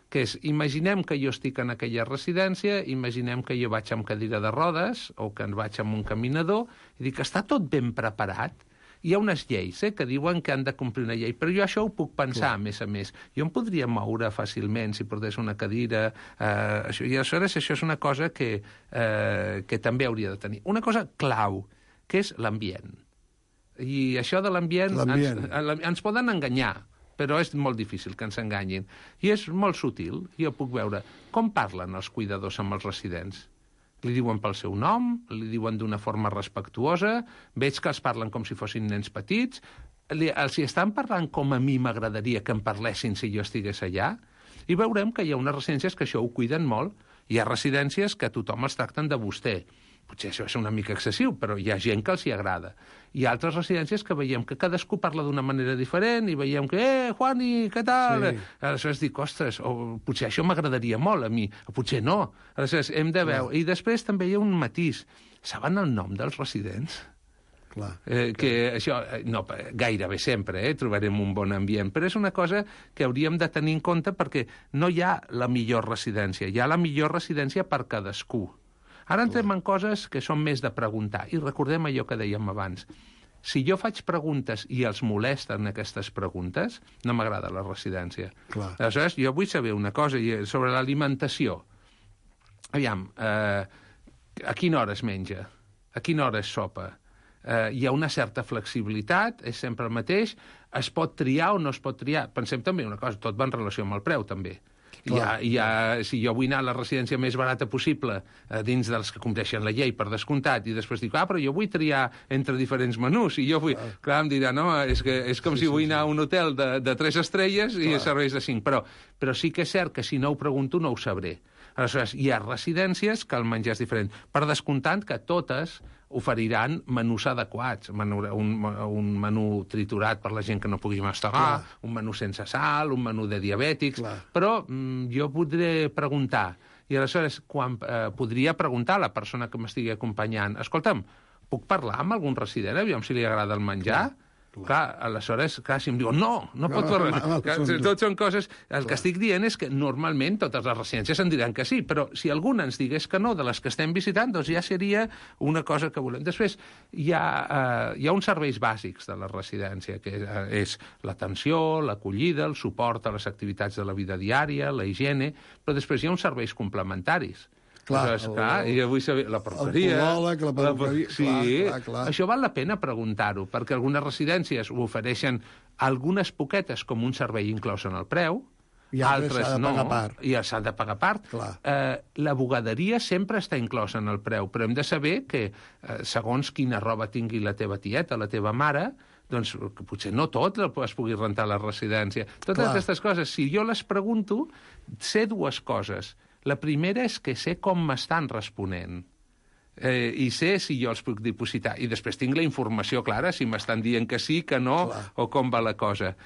que és, imaginem que jo estic en aquella residència, imaginem que jo vaig amb cadira de rodes o que vaig amb un caminador, i dic, està tot ben preparat. Hi ha unes lleis que diuen que han de complir una llei, però jo això ho puc pensar, a més. Jo em podria moure fàcilment si portés una cadira, i aleshores això és una cosa que també hauria de tenir. Una cosa clau, que és l'ambient. I això de l'ambient ens poden enganyar, però és molt difícil que ens enganyin. I és molt sutil. Jo puc veure com parlen els cuidadors amb els residents. Li diuen pel seu nom, li diuen d'una forma respectuosa, veig que els parlen com si fossin nens petits, els hi estan parlant com a mi m'agradaria que em parlessin si jo estigués allà, i veurem que hi ha unes residències que això ho cuiden molt. Hi ha residències que tothom els tracten de vostè. Potser això és una mica excessiu, però hi ha gent que els hi agrada. Hi ha altres residències que veiem que cadascú parla d'una manera diferent i veiem que, Juani, què tal? Sí. Aleshores dic, ostres, potser això m'agradaria molt a mi, o potser no. Aleshores hem de veure. I després també hi ha un matís. Saben el nom dels residents? Clar. Que això, no, gairebé sempre trobarem un bon ambient, però és una cosa que hauríem de tenir en compte perquè no hi ha la millor residència, hi ha la millor residència per cadascú. Ara entrem en coses que són més de preguntar, i recordem allò que dèiem abans. Si jo faig preguntes i els molesten aquestes preguntes, no m'agrada la residència. Clar. Aleshores, jo vull saber una cosa sobre l'alimentació. Aviam, a quina hora es menja? A quina hora es sopa? Hi ha una certa flexibilitat, és sempre el mateix, es pot triar o no es pot triar. Pensem també una cosa, tot va en relació amb el preu, també. Si jo vull anar a la residència més barata possible dins dels que compleixen la llei, per descomptat, i després dic, però jo vull triar entre diferents menús, i jo vull... Clar, em dirà, no, és com si vull anar a un hotel de 3 estrelles i serveis de 5, però sí que és cert que si no ho pregunto no ho sabré. Aleshores, hi ha residències que el menjar és diferent. Per descomptant que totes oferiran menús adequats, un menú triturat per la gent que no pugui mastegar, un menú sense sal, un menú de diabètics, però jo podré preguntar, i aleshores podria preguntar a la persona que m'estigui acompanyant, escolta'm, puc parlar amb algun resident, aviam si li agrada el menjar? Clar, aleshores, si em diuen no pot parlar. Tot són coses... El que estic dient és que normalment totes les residències en diran que sí, però si alguna ens digués que no de les que estem visitant, doncs ja seria una cosa que volem. Després, hi ha uns serveis bàsics de la residència, que és l'atenció, l'acollida, el suport a les activitats de la vida diària, la higiene, però després hi ha uns serveis complementaris. Clar, i jo vull saber la perruqueria... El podòleg, la perruqueria... Sí, clar. Això val la pena preguntar-ho, perquè algunes residències ho ofereixen algunes poquetes com un servei inclòs en el preu, i altres no, i s'ha de pagar a part. La bugaderia sempre està inclosa en el preu, però hem de saber que segons quina roba tingui la teva tieta, la teva mare, doncs potser no tot es pugui rentar a la residència. Totes aquestes coses, si jo les pregunto, sé dues coses. La primera és que sé com m'estan responent i sé si jo els puc dipositar. I després tinc la informació clara, si m'estan dient que sí, que no, o com va la cosa.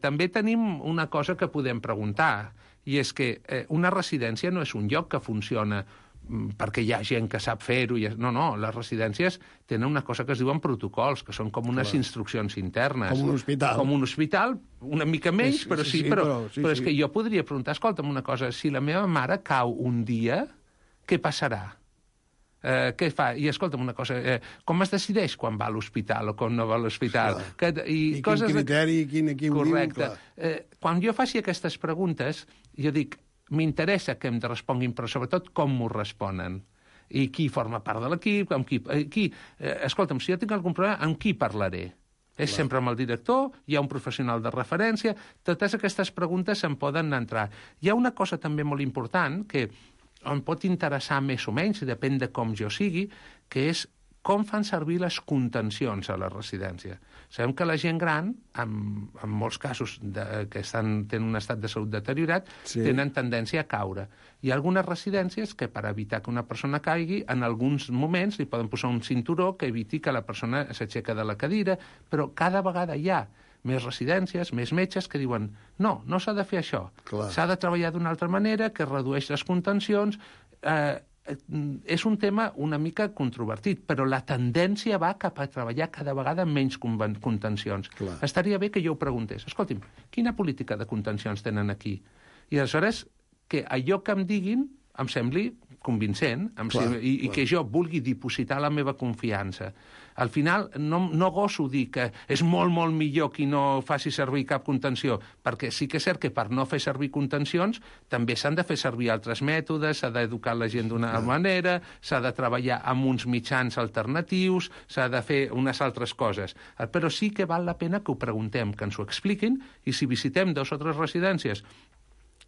També tenim una cosa que podem preguntar, i és que una residència no és un lloc que funciona perquè hi ha gent que sap fer-ho. No, les residències tenen una cosa que es diuen protocols, que són com unes instruccions internes. Com un hospital. Com un hospital, una mica menys, però és que jo podria preguntar, escolta'm una cosa, si la meva mare cau un dia, què passarà? Què fa? I escolta'm una cosa, com es decideix quan va a l'hospital o quan no va a l'hospital? I quin criteri, quin correcte. Quan jo faci aquestes preguntes, jo dic, m'interessa que em responguin, però sobretot com m'ho responen. I qui forma part de l'equip, escolta'm, si jo tinc algun problema, amb qui parlaré? És sempre amb el director, hi ha un professional de referència, totes aquestes preguntes se'n poden entrar. Hi ha una cosa també molt important que em pot interessar més o menys, i depèn de com jo sigui, que és com fan servir les contencions a la residència. Sabem que la gent gran, en molts casos que tenen un estat de salut deteriorat, tenen tendència a caure. Hi ha algunes residències que, per evitar que una persona caigui, en alguns moments li poden posar un cinturó que eviti que la persona s'aixeca de la cadira, però cada vegada hi ha més residències, més metges que diuen no s'ha de fer això, s'ha de treballar d'una altra manera, que redueix les contencions. És un tema una mica controvertit, però la tendència va cap a treballar cada vegada amb menys contencions. Estaria bé que jo ho preguntés. Escolti'm, quina política de contencions tenen aquí? I aleshores que allò que em diguin em sembli convincent i que jo vulgui dipositar la meva confiança. Al final, no goso dir que és molt, molt millor qui no faci servir cap contenció, perquè sí que és cert que per no fer servir contencions també s'han de fer servir altres mètodes, s'ha d'educar la gent d'una manera, s'ha de treballar amb uns mitjans alternatius, s'ha de fer unes altres coses. Però sí que val la pena que ho preguntem, que ens ho expliquin, i si visitem 2 o 3 residències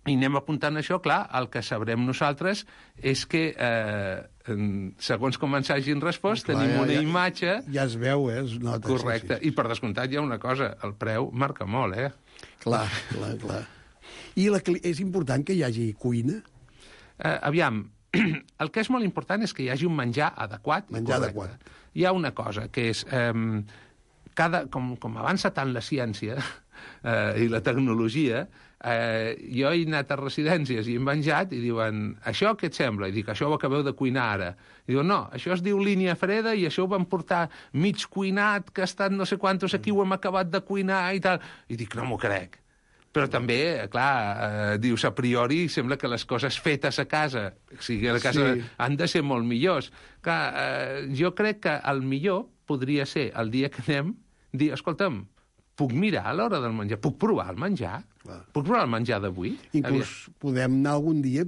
i anem apuntant això, clar, el que sabrem nosaltres és que, segons com ens hagin respost, tenim una imatge... Ja es veu, es nota. Correcte. I per descomptat hi ha una cosa, el preu marca molt, Clar. I és important que hi hagi cuina? Aviam, el que és molt important és que hi hagi un menjar adequat. Menjar adequat. Hi ha una cosa, que és... Com avança tant la ciència i la tecnologia, jo he anat a residències i he menjat i diuen, això què et sembla? I dic, això ho acabeu de cuinar ara. I diuen, no, això es diu línia freda i això ho vam portar mig cuinat, que ha estat no sé quantos, aquí ho hem acabat de cuinar i tal. I dic, no m'ho crec. Però també, clar, dius, a priori sembla que les coses fetes a casa, o sigui, a casa han de ser molt millors. Clar, jo crec que el millor podria ser el dia que anem, dir, escolta'm, puc mirar a l'hora del menjar? Puc provar el menjar? Puc provar el menjar d'avui? Inclús podem anar algun dia,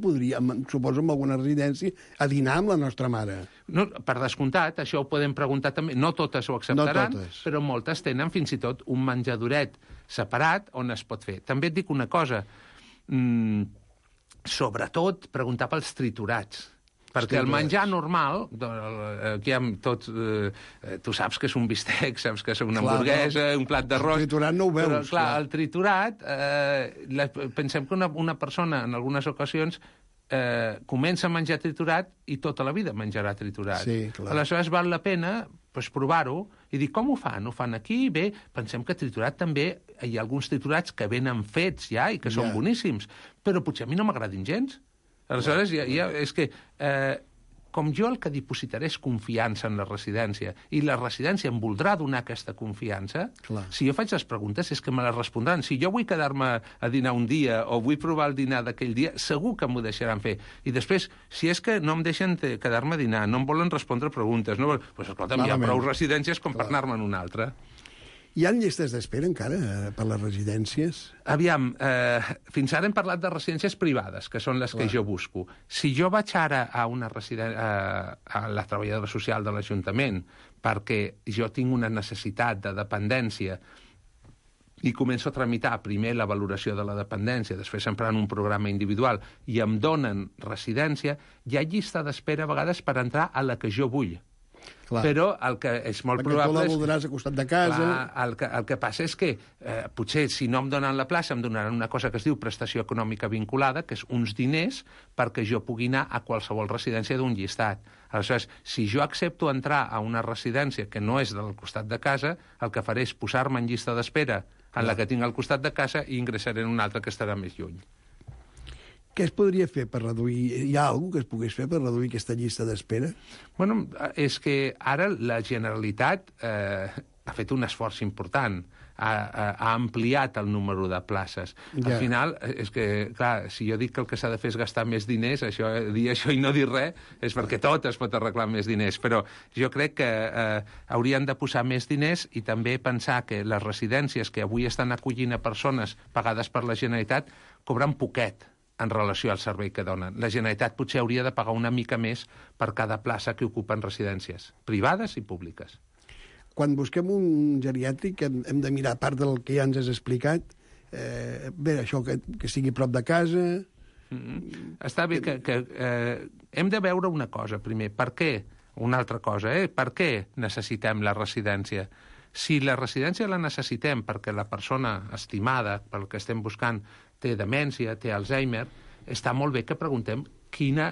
suposo, en alguna residència, a dinar amb la nostra mare. No, per descomptat, això ho podem preguntar també. No totes ho acceptaran, però moltes tenen fins i tot un menjadoret separat on es pot fer. També et dic una cosa, sobretot preguntar pels triturats. Perquè el menjar normal, aquí amb tots... Tu saps que és un bistec, saps que és una hamburguesa, un plat d'arròs... El triturat no ho veus. Però, clar, el triturat... Pensem que una persona, en algunes ocasions, comença a menjar triturat i tota la vida menjarà triturat. Sí, clar. Aleshores val la pena provar-ho i dir, com ho fan? Ho fan aquí? Bé, pensem que triturat també... Hi ha alguns triturats que venen fets ja i que són boníssims, però potser a mi no m'agradin gens. Aleshores, és que, com jo el que dipositaré és confiança en la residència, i la residència em voldrà donar aquesta confiança, si jo faig les preguntes és que me les respondran. Si jo vull quedar-me a dinar un dia o vull provar el dinar d'aquell dia, segur que m'ho deixaran fer. I després, si és que no em deixen quedar-me a dinar, no em volen respondre preguntes, doncs, escolta'm, hi ha prou residències com per anar-me en una altra. Hi ha llistes d'espera encara per les residències? Aviam, fins ara hem parlat de residències privades, que són les que jo busco. Si jo vaig ara a una a la treballadora social de l'Ajuntament perquè jo tinc una necessitat de dependència i començo a tramitar primer la valoració de la dependència, després emprant un programa individual i em donen residència, hi ha llista d'espera a vegades per entrar a la que jo vull. Clar. Però el que és molt probable... Perquè tu la voldràs a costat de casa... Clar, el que passa és que potser si no em donen la plaça em donaran una cosa que es diu prestació econòmica vinculada, que és uns diners perquè jo pugui anar a qualsevol residència d'un llistat. Aleshores, si jo accepto entrar a una residència que no és del costat de casa, el que faré és posar-me en llista d'espera en la que tinc al costat de casa i ingressaré en una altra que estarà més lluny. Què es podria fer per reduir... Hi ha alguna cosa que es pogués fer per reduir aquesta llista d'espera? Bueno, és que ara la Generalitat ha fet un esforç important. Ha ampliat el número de places. Al final, és que, clar, si jo dic que el que s'ha de fer és gastar més diners, dir això i no dir res, és perquè tot es pot arreglar amb més diners. Però jo crec que haurien de posar més diners i també pensar que les residències que avui estan acollint a persones pagades per la Generalitat cobren poquet en relació al servei que donen. La Generalitat potser hauria de pagar una mica més per cada plaça que ocupen residències privades i públiques. quan busquem un geriàtric hem de mirar, a part del que ja ens has explicat, bé, això que sigui prop de casa... Està bé que hem de veure una cosa, primer. Per què? Una altra cosa, per què necessitem la residència? Si la residència la necessitem perquè la persona estimada, pel que estem buscant, té demència, té Alzheimer, està molt bé que preguntem quina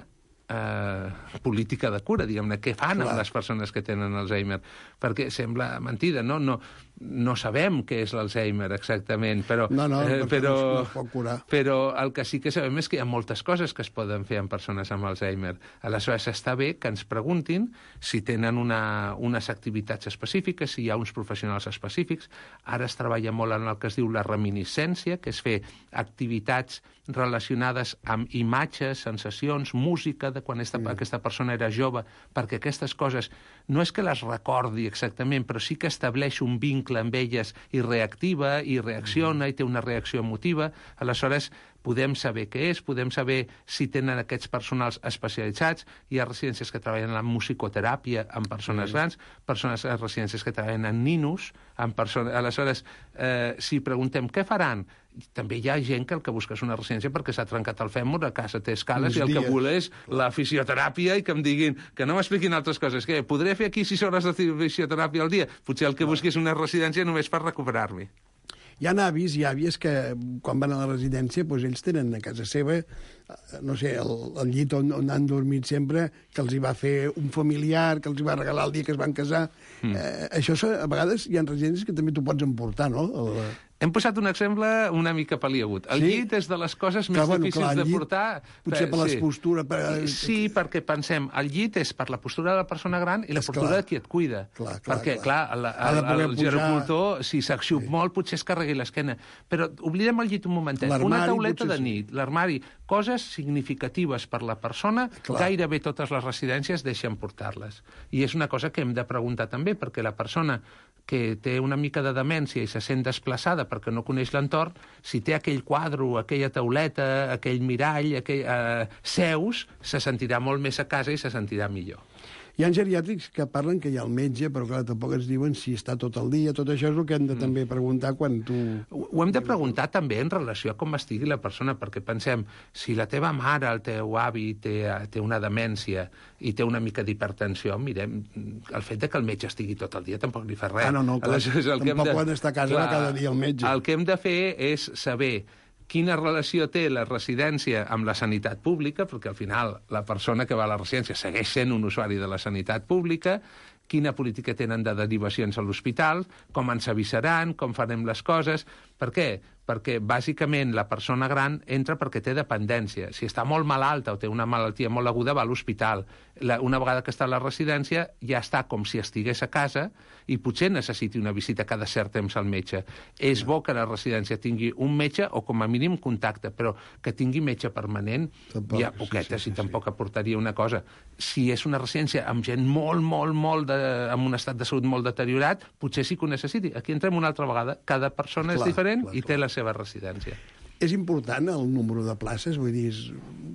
política de cura, diguem-ne, què fan amb les persones que tenen Alzheimer, perquè sembla mentida, no sabem què és l'Alzheimer exactament, però no es pot curar. Però el que sí que sabem és que hi ha moltes coses que es poden fer amb persones amb Alzheimer. Aleshores, està bé que ens preguntin si tenen unes activitats específiques, si hi ha uns professionals específics. Ara es treballa molt en el que es diu la reminiscència, que és fer activitats relacionades amb imatges, sensacions, música de quan aquesta persona era jove, perquè aquestes coses no és que les recordi exactament, però sí que estableix un vincle amb elles i reactiva, i reacciona, i té una reacció emotiva. Aleshores, podem saber què és, podem saber si tenen aquests personals especialitzats. Hi ha residències que treballen en musicoteràpia amb persones grans, residències que treballen en ninos, amb persones... Aleshores, si preguntem què faran, també hi ha gent que el que busca és una residència perquè s'ha trencat el fèmur, a casa té escales i el que vol és la fisioteràpia i que em diguin, que no m'expliquin altres coses. Què, podré fer aquí 6 hores de fisioteràpia al dia? Potser el que busqui és una residència només per recuperar-me. Hi ha avis i àvies que, quan van a la residència, doncs ells tenen a casa seva, no sé, el llit on han dormit sempre, que els hi va fer un familiar, que els hi va regalar el dia que es van casar. Això, a vegades, hi ha residències que també t'ho pots emportar, no? Hem posat un exemple una mica paliagut. El llit és de les coses més difícils de portar. Potser per les postures... Sí, perquè pensem, el llit és per la postura de la persona gran i la postura de qui et cuida. Perquè, clar, el gerocultor, si s'axup molt, potser es carregui l'esquena. Però oblidem el llit un momentet. Una tauleta de nit, l'armari, coses significatives per la persona, gairebé totes les residències deixen portar-les. I és una cosa que hem de preguntar també, perquè la persona que té una mica de demència i se sent desplaçada perquè no coneix l'entorn, si té aquell quadre, aquella tauleta, aquell mirall, seus, se sentirà molt més a casa i se sentirà millor. Hi ha geriàtrics que parlen que hi ha el metge, però clar, tampoc ens diuen si està tot el dia. Tot això és el que hem de també preguntar quan tu... Ho hem de preguntar també en relació a com estigui la persona, perquè pensem, si la teva mare, el teu avi, té una demència i té una mica d'hipertensió, mirem, el fet de que el metge estigui tot el dia tampoc li fa res. No, clar, tampoc poden estar a casa cada dia el metge. El que hem de fer és saber quina relació té la residència amb la sanitat pública, perquè al final la persona que va a la residència segueix sent un usuari de la sanitat pública, quina política tenen de derivacions a l'hospital, com ens avisaran, com farem les coses... Per què? Perquè, bàsicament, la persona gran entra perquè té dependència. Si està molt malalta o té una malaltia molt aguda, va a l'hospital. Una vegada que està a la residència, ja està com si estigués a casa i potser necessiti una visita cada cert temps al metge. És bo que la residència tingui un metge o, com a mínim, contacte, però que tingui metge permanent, hi ha poquetes i tampoc aportaria una cosa. Si és una residència amb gent amb un estat de salut molt deteriorat, potser sí que ho necessiti. Aquí entrem una altra vegada. Cada persona és diferent i té la seva residència. És important el número de places? Vull dir,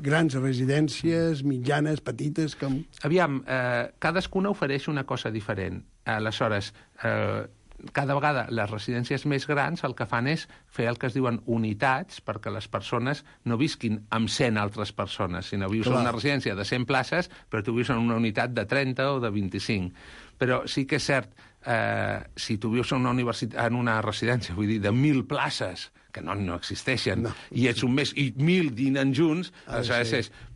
grans residències, mitjanes, petites... Com... Aviam, cadascuna ofereix una cosa diferent. Aleshores, cada vegada les residències més grans el que fan és fer el que es diuen unitats perquè les persones no visquin amb 100 altres persones, sinó vius en una residència de 100 places, però tu vius en una unitat de 30 o de 25. Però sí que és cert, si tu vius en una residència, vull dir, de 1.000 places, que no existeixen, i ets un mes, i 1.000 dinen junts,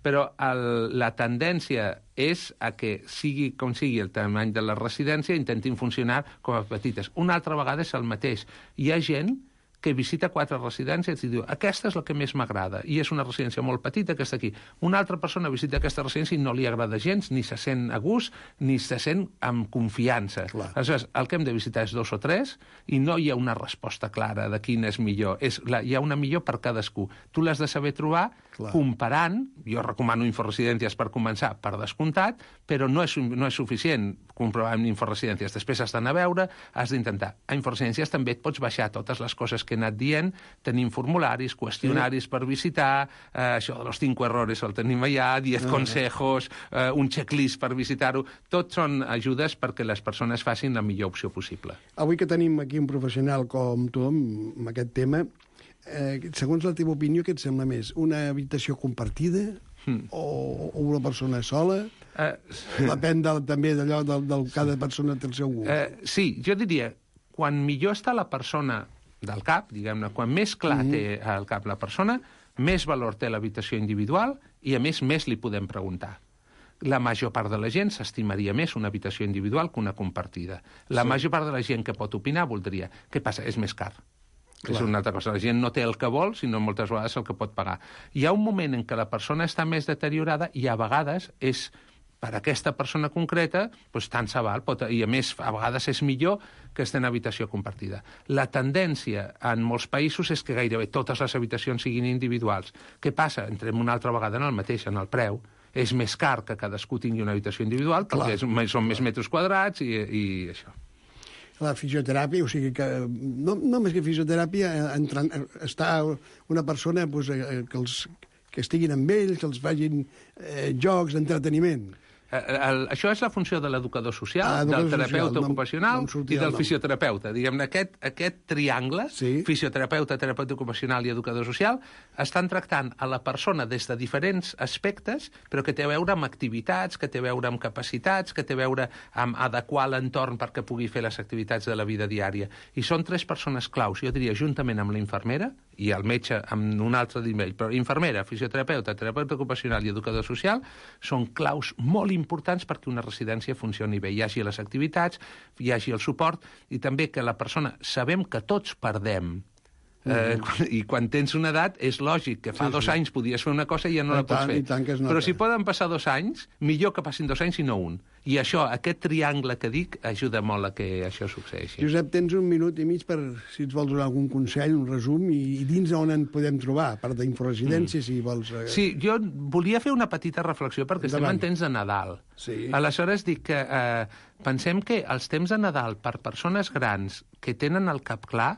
però la tendència és a que sigui com sigui el tamany de la residència, intentin funcionar com a petites. Una altra vegada és el mateix. Hi ha gent que visita 4 residències i diu, aquesta és la que més m'agrada, i és una residència molt petita que està aquí. Una altra persona visita aquesta residència i no li agrada gens, ni se sent a gust, ni se sent amb confiança. Aleshores, el que hem de visitar és 2 o 3, i no hi ha una resposta clara de quina és millor. Hi ha una millor per cadascú. Tu l'has de saber trobar comparant, jo recomano inforesidències per començar, per descomptat, però no és suficient comprovar amb inforesidències. Després has d'anar a veure, has d'intentar. A inforesidències també et pots baixar totes les coses que he anat dient, tenim formularis, qüestionaris per visitar, això de los 5 errores el tenim allà, 10 consejos, un checklist per visitar-ho. Tot són ajudes perquè les persones facin la millor opció possible. Avui que tenim aquí un professional com tu amb aquest tema, segons la teva opinió, què et sembla més? Una habitació compartida o una persona sola? Depèn també d'allò del cada persona té el seu gust. Sí, jo diria, quan millor està la persona del cap, diguem-ne, quan més clar té al cap la persona, més valor té l'habitació individual i, a més li podem preguntar. La major part de la gent s'estimaria més una habitació individual que una compartida. La major part de la gent que pot opinar voldria. Què passa? És més car. Clar. És una altra cosa. La gent no té el que vol, sinó moltes vegades el que pot pagar. Hi ha un moment en què la persona està més deteriorada i a vegades és, per a aquesta persona concreta, doncs tant se val. I a més, a vegades és millor que estar en habitació compartida. La tendència en molts països és que gairebé totes les habitacions siguin individuals. Què passa? Entrem una altra vegada en el mateix, en el preu. És més car que cadascú tingui una habitació individual perquè són més metres quadrats i això. La fisioteràpia, o sigui que no més que fisioteràpia, està una persona que estiguin amb ells, que els facin jocs d'entreteniment. Això és la funció de l'educador social, del terapeuta ocupacional i del fisioterapeuta. Diguem-ne, aquest triangle, fisioterapeuta, terapeuta ocupacional i educador social, estan tractant a la persona des de diferents aspectes, però que té a veure amb activitats, que té a veure amb capacitats, que té a veure amb adequar l'entorn perquè pugui fer les activitats de la vida diària. I són 3 persones claus, jo diria, juntament amb la infermera i el metge amb un altre nivell, però infermera, fisioterapeuta, terapeuta ocupacional i educador social són claus molt importants perquè una residència funcioni bé. Hi hagi les activitats, hi hagi el suport i també que la persona... Sabem que tots perdem. I quan tens una edat és lògic que fa 2 anys podies fer una cosa i ja no la pots fer. Però si poden passar 2 anys, millor que passin 2 anys i no un. I això, aquest triangle que dic, ajuda molt a que això succeeixi. Josep, tens 1 minut i mig per, si ens vols donar algun consell, un resum, i dins on en podem trobar, a part d'inforesidència, si vols... Sí, jo volia fer una petita reflexió, perquè estem en temps de Nadal. Aleshores dic que pensem que els temps de Nadal per persones grans que tenen el cap clar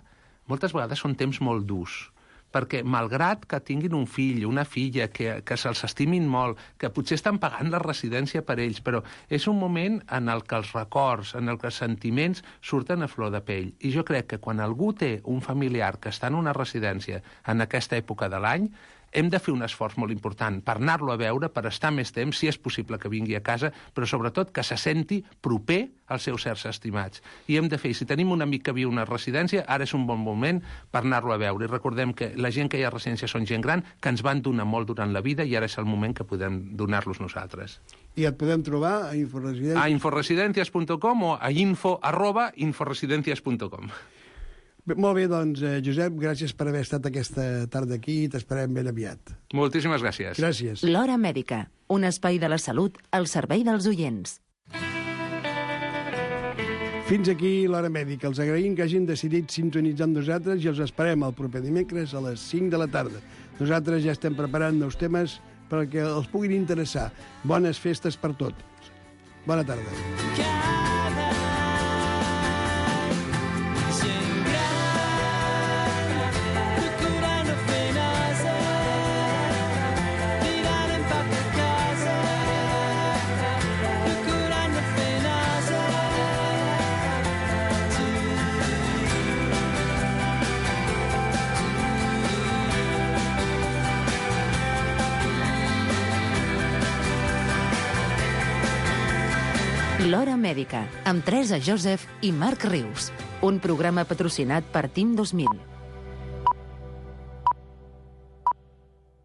moltes vegades són temps molt durs, perquè malgrat que tinguin un fill, una filla, que se'ls estimin molt, que potser estan pagant la residència per ells, però és un moment en el que els records, en el que els sentiments surten a flor de pell. I jo crec que quan algú té un familiar que està en una residència en aquesta època de l'any, hem de fer un esforç molt important per anar-lo a veure, per estar més temps, si és possible que vingui a casa, però sobretot que se senti proper als seus certs estimats. I hem de fer, si tenim un amic que viu a una residència, ara és un bon moment per anar-lo a veure. I recordem que la gent que hi ha a residència són gent gran, que ens van donar molt durant la vida i ara és el moment que podem donar-los nosaltres. I et podem trobar a Inforesidències? A inforesidències.com o a info@inforesidències.com. Molt bé, doncs, Josep, gràcies per haver estat aquesta tarda aquí i t'esperem ben aviat. Moltíssimes gràcies. Gràcies. L'Hora Mèdica, un espai de la salut al servei dels oients. Fins aquí l'Hora Mèdica. Els agraïm que hagin decidit sintonitzar amb nosaltres i els esperem el proper dimecres a les 5 de la tarda. Nosaltres ja estem preparant nous temes perquè els puguin interessar. Bones festes per tots. Bona tarda. L'Hora Mèdica, amb Teresa Joseph i Marc Rius. Un programa patrocinat per Team 2000.